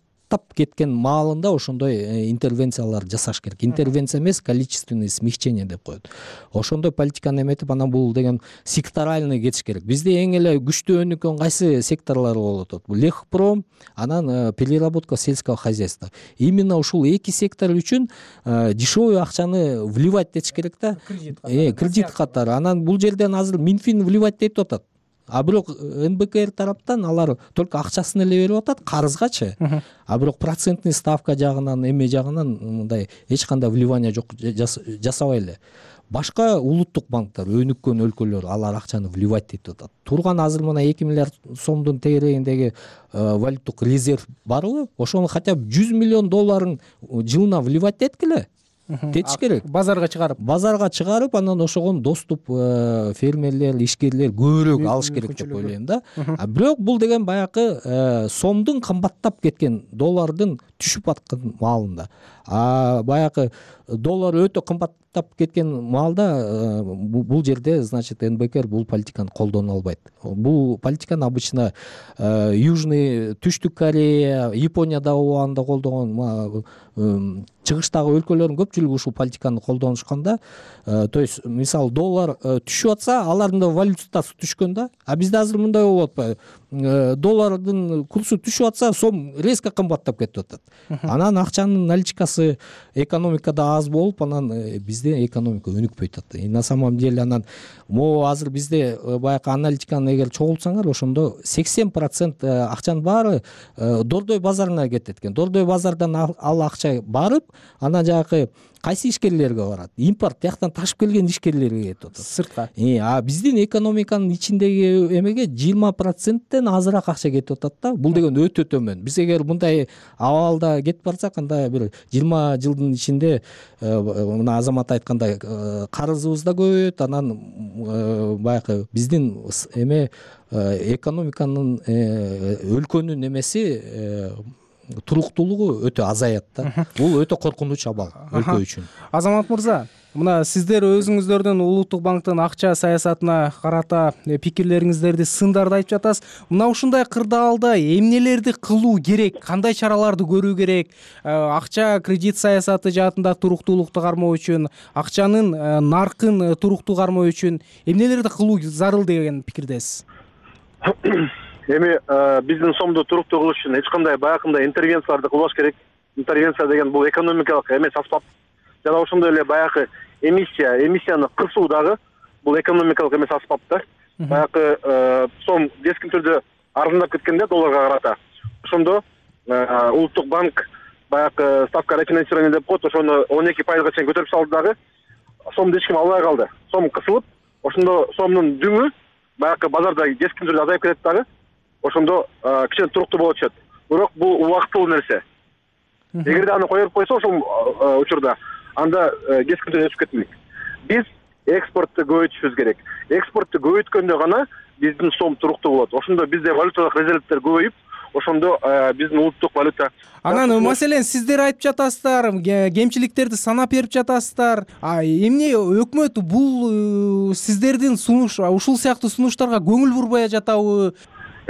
кеткен маалында ошондой интервенциялар жасаш керек. Интервенция эмес, количественный смягчение деп коет. Ошондой политиканы эметип, анан бул деген секторальный кетиш керек. Бизде эң эле күчтүү өнүккөн кайсы секторлор болуп атат? Лехпром, анан переработка сельского хозяйства. Именно ушул эки сектор үчүн дешевый акчаны вливать этиш керек да. Кредит катары. Анан бул жерден азыр Минфин вливать этип атат. А бирок эн бэ ка эр тараптан алар только акчасын эле берип атат, карызгачы. А бирок процентный ставка жагынан, эме жагынан мындай эч кандай вливание жок, жасабай эле. Башка улуттук банктар, өнүккөн өлкөлөр алар акчаны вливать этип атат. Турган азыр мына эки миллиард сомдун тегерегиндеги валюттук резерв барбы? Ошону хотя бы жүз миллион долларын жылына вливать эткиле. Тетиш керек. Базарга чыгарып. Базарга чыгарып, анан ошогон доступ фермерлер, ишкерлер көбүрөөк алыш керек деп ойлойм да. А бирок бул деген баягы сомдун кымбаттап кеткен, доллардын түшүп аткан маалында. А баягы доллар өтө кымбаттап кеткен маалда бул жерде, значит, эн бэ ка эр бул политиканы колдоно албайт. Бул политиканы обычно Южный, Түштүк Корея, Японияда убагында колдогон, чыгыштагы өлкөлөрдүн көпчүлүгү ушул политиканы колдонушканда, то есть мисалы доллар түшүп атса, алардын да валютасы түшкөн да. А бизде азыр мындай болуп атпайбы? Доллардын курсу түшүп атса, сом резко кымбаттап кетип атат. Анан акчанын наличкасы экономикада аз болуп, анан бизде экономика өнүкпөй атат. На самом деле анан могу азыр бизде баягы аналитиканы эгер чогултсаңар, ошондо сексен процент акчанын баары Дордой базарына кетет экен. Дордой базардан ал акча барып, анан жагы кайсы ишкерлерге барат? Импорт жактан ташып келген ишкерлерге кетип атат. Сыртка. А биздин экономиканын ичиндеги эмеге жыйырма проценттен азыраак акча кетип атат да. Бул деген өтө төмөн. Биз эгер мындай абалда кетип барсак, анда бир жыйырма жылдын ичинде мына Азамат айткандай карызыбыз да көбөйөт, анан баягы биздин эме экономиканын өлкөнүн эмеси туруктуулугу өтө азаят да. Бул өтө коркунуч абал өлкө үчүн. Азамат мырза, мына сиздер өзүңүздөрдүн улуттук банктын акча саясатына карата пикирлериңиздерди сындарды айтып жатасыз. Мына ушундай кырдаалда эмнелерди кылуу керек, кандай чараларды көрүү керек, акча кредит саясаты жаатында туруктуулукту кармоо үчүн, акчанын наркын туруктуу кармоо үчүн эмнелерди кылуу зарыл деген пикирдесиз? Эми биздин сомду туруктуу кылыш үчүн эч кандай баягындай интервенцияларды кылбаш керек. Интервенция деген бул экономикалык эмес аспап. Жана ошондой эле баягы эмиссия, эмиссияны кысуу дагы бул экономикалык эмес аспап да. Баягы сом кескин түрдө арзандап кеткенде долларга карата. Ошондо улуттук банк баягы ставка рефинансирования деп коет, ошону он эки пайызга чейин көтөрүп салды дагы. Сомду эч ким албай калды. Сом кысылып, ошондо сомдун дүңү баягы базарда кескин түрдө азайып кетет дагы. Ошондо кичине туруктуу болот чет. Бирок бул убактылуу нерсе. Эгерде аны коюп койсо ошол учурда анда кескин түрдө өсүп кетмейт. Биз экспортты көбөйтүшүбүз керек. Экспортты көбөйткөндө гана биздин сом туруктуу болот. Ошондо бизде валюталык резервдер көбөйүп, ошондо биздин улуттук валюта. Анан маселен сиздер айтып жатасыздар, кемчиликтерди санап берип жатасыздар. А эмне өкмөт бул сиздердин сунуш, ушул сыяктуу сунуштарга көңүл бурбай жатабы?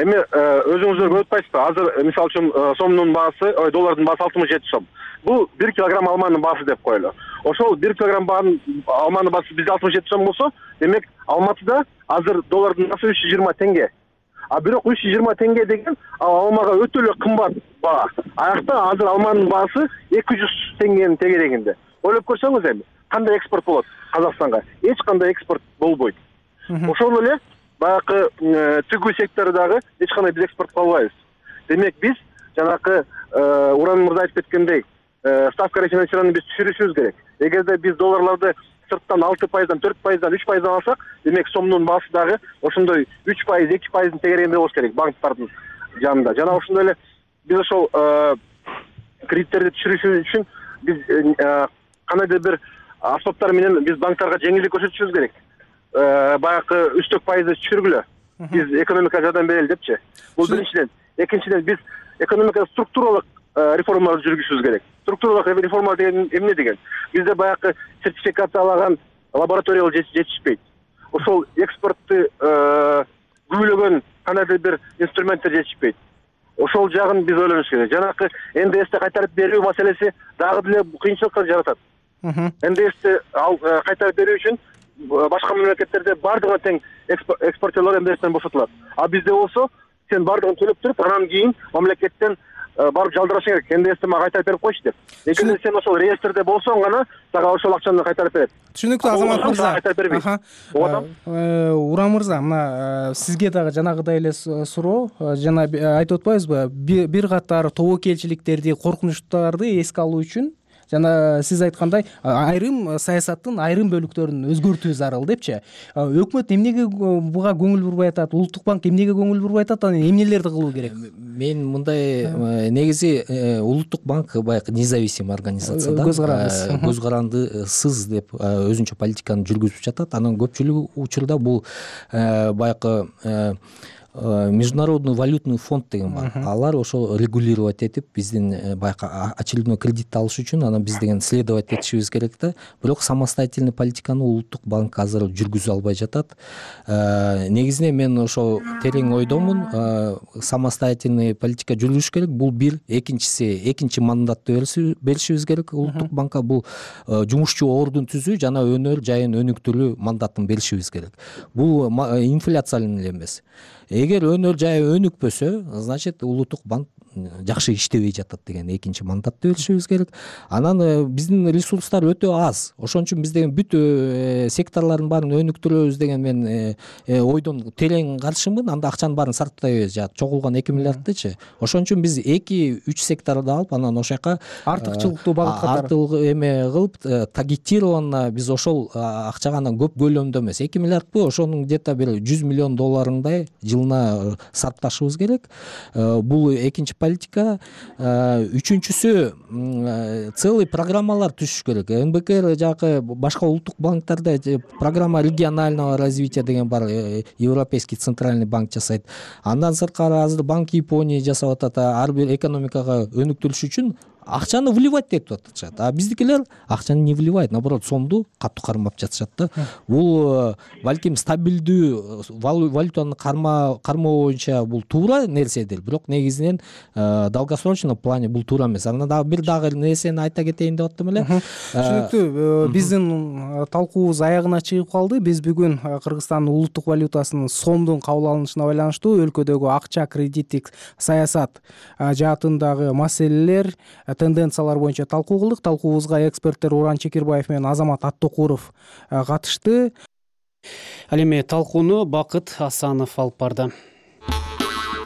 Эми өзүңүздөр көрүп атпайсызбы? Азыр мисалы үчүн сомдун баасы, ой, доллардын баасы алтымыш жети сом. Бул бир килограмм алманын баасы деп коелу. Ошол бир килограмм алманын баасы бизде алтымыш жети сом болсо, демек Алматыда азыр доллардын баасы үч жүз жыйырма теңге. А бирок үч жүз жыйырма теңге деген алмага өтө эле кымбат баа. Аякта азыр алманын баасы эки жүз теңгенин тегерегинде. Ойлоп көрсөңүз эми, кандай экспорт болот Казакстанга? Эч кандай экспорт болбойт. Ошол эле баягы тигүү сектордагы эч кандай биз экспорт кыла албайбыз. Демек биз жанакы Уран мырза айтып кеткендей, ставка рефинансирования биз түшүрүшүбүз керек. Эгерде биз долларларды сырттан алты пайыздан, төрт пайыздан, үч пайыздан алсак, демек сомдун баасы дагы ошондой үч пайыз, эки пайыздын тегерегинде болуш керек банктардын жанында. Жана ошондой эле биз ошол кредиттерди түшүрүш үчүн биз кандайдыр бир аспаптар менен биз банктарга жеңилдик көрсөтүшүбүз керек. Баягы үстөк пайызды түшүргүлө. Биз экономикага жардам берели депчи. Бул биринчиден. Экинчиден биз экономикада структуралык реформаларды жүргүзүшүбүз керек. Структуралык реформа деген эмне деген? Бизде баягы сертификациялаган лабораториялар жетишпейт. Ошол экспортты күбөлөгөн кандайдыр бир инструменттер жетишпейт. Ошол жагын биз ойлонуш керек. Жанакы эн дэ эсти кайтарып берүү маселеси дагы деле кыйынчылыктар жаратат. эн дэ эсти кайтарып берүү үчүн башка мамлекеттерде бардыгына тең экспортерлор эн дэ эстен бошотулат. А бизде болсо сен бардыгын төлөп туруп, анан кийин мамлекеттен барып жалдырашың керек. эн дэ эсти мага кайтарып берип койчу деп. Эгерде сен ошол реестрде болсоң гана сага ошол акчаны кайтарып берет. Түшүнүктүү Азамат мырза. Уран мырза, мына сизге дагы жанагыдай эле суроо. Жана айтып атпайбызбы? Бир катар тобокелчиликтерди, коркунучтарды эске алуу үчүн жана сиз айткандай айрым саясаттын айрым бөлүктөрүн өзгөртүү зарыл депчи. Өкмөт эмнеге буга көңүл бурбай атат? Улуттук банк эмнеге көңүл бурбай атат? Анан эмнелерди кылуу керек? Мен мындай негизи Улуттук банк баягы независимый организация да. Көз карандысыз деп өзүнчө политиканы жүргүзүп жатат. Анан көпчүлүк учурда бул баягы Международный валютный фонд деген бар. Алар ошол регулировать этип биздин баягы очередной кредит алыш үчүн анан биз деген следовать этишибиз керек да. Бирок самостоятельный политиканы Улуттук банк азыр жүргүзө албай жатат. Негизинен мен ошол терең ойдомун. Самостоятельный политика жүргүзүш керек. Бул бир, экинчиси экинчи мандатты беришибиз керек Улуттук банкка. Бул жумушчу ордун түзүү жана өнөр жайын өнүктүрүү мандатын беришибиз керек. Бул инфляциялы эле эмес. Эгер өнөр жайы өнүкпөсө, значит Улуттук банк жакшы иштебей жатат деген экинчи мандатты беришибиз керек. Анан биздин ресурстар өтө аз. Ошон үчүн биз деген бүт секторлордун баарын өнүктүрөбүз деген мен ойдон терең каршымын. Анда акчанын баарын сарптайбыз, жана чогулган эки миллиардтычы. Ошон үчүн биз эки үч секторду алып, анан ошол жака артыкчылыктуу багыт катары артык эме кылып, таргетированно биз ошол акчага анан көп көлөмдө эмес, эки миллиардбы, ошонун где-то бир жүз миллион долларындай жылына сарпташыбыз керек. Бул экинчи политика. Үчүнчүсү целый программалар түзүш керек. эн бэ ка эр жакы башка улуттук банктарда программа регионального развития деген бар, Европейский центральный банк жасайт. Андан сырткары азыр Банк Японии жасап атат. Ар бир экономикага өнүктүрүш үчүн акчаны вливать деп атышат, а биздикилер акчаны не вливает, наоборот сомду катуу кармап жатышат да. Бул балким стабилдүү валютаны кармоо боюнча бул туура нерседир, бирок негизинен долгосрочный плане бул туура эмес. Анан дагы бир дагы нерсени айта кетейин деп аттым эле. Түшүнүктүү. Биздин талкуубуз аягына чыгып калды. Биз бүгүн Кыргызстандын улуттук валютасынын сомдун кабыл алынышына байланыштуу өлкөдөгү акча кредиттик саясат жаатындагы маселелер, тенденциялар боюнча талкуу кылдык. Талкуубузга эксперттер Уран Чекербаев менен Азамат Аттокуров катышты. Ал эми талкууну Бакыт Асанов алып барды.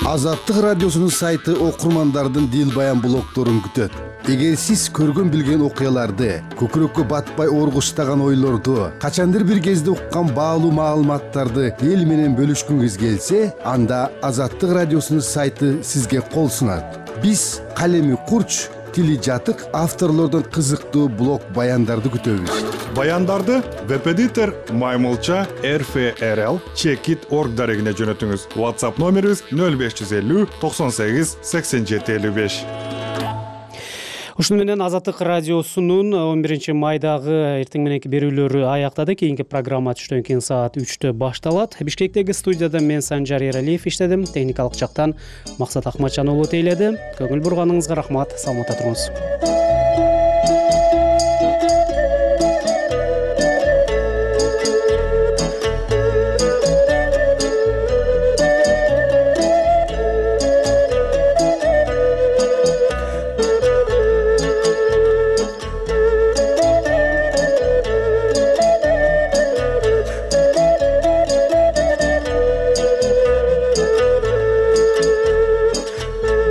Азаттык радиосунун сайты окурмандардын дил баян блогдорун күтөт. Эгер сиз көргөн билген окуяларды, көкүрөккө батпай оргуштаган ойлорду, качандыр бир кезде уккан баалуу маалыматтарды эл менен бөлүшкүңүз келсе, анда Азаттык радиосунун сайты сизге кол сунат. Биз калеми курч, тили жатык авторлордон кызыктуу блог баяндарды күтөбүз. Баяндарды веб-эдитор Маймылча эр эф эр эл чекит точка орг дарегине жөнөтүңүз. WhatsApp номерибиз нөл беш жүз элүү токсон сегиз сексен жети элүү беш. Ушуну менен Азаттык радиосунун он биринчи майдагы эртең мененки берүүлөрү аяктады. Кийинки программа түштөн кийин саат үчтө башталат. Бишкектеги студияда мен Санжар Эралиев иштедим. Техникалык жактан Максат Акматжан уулу тейледи. Көңүл бурганыңызга рахмат. Саламатта туруңуз.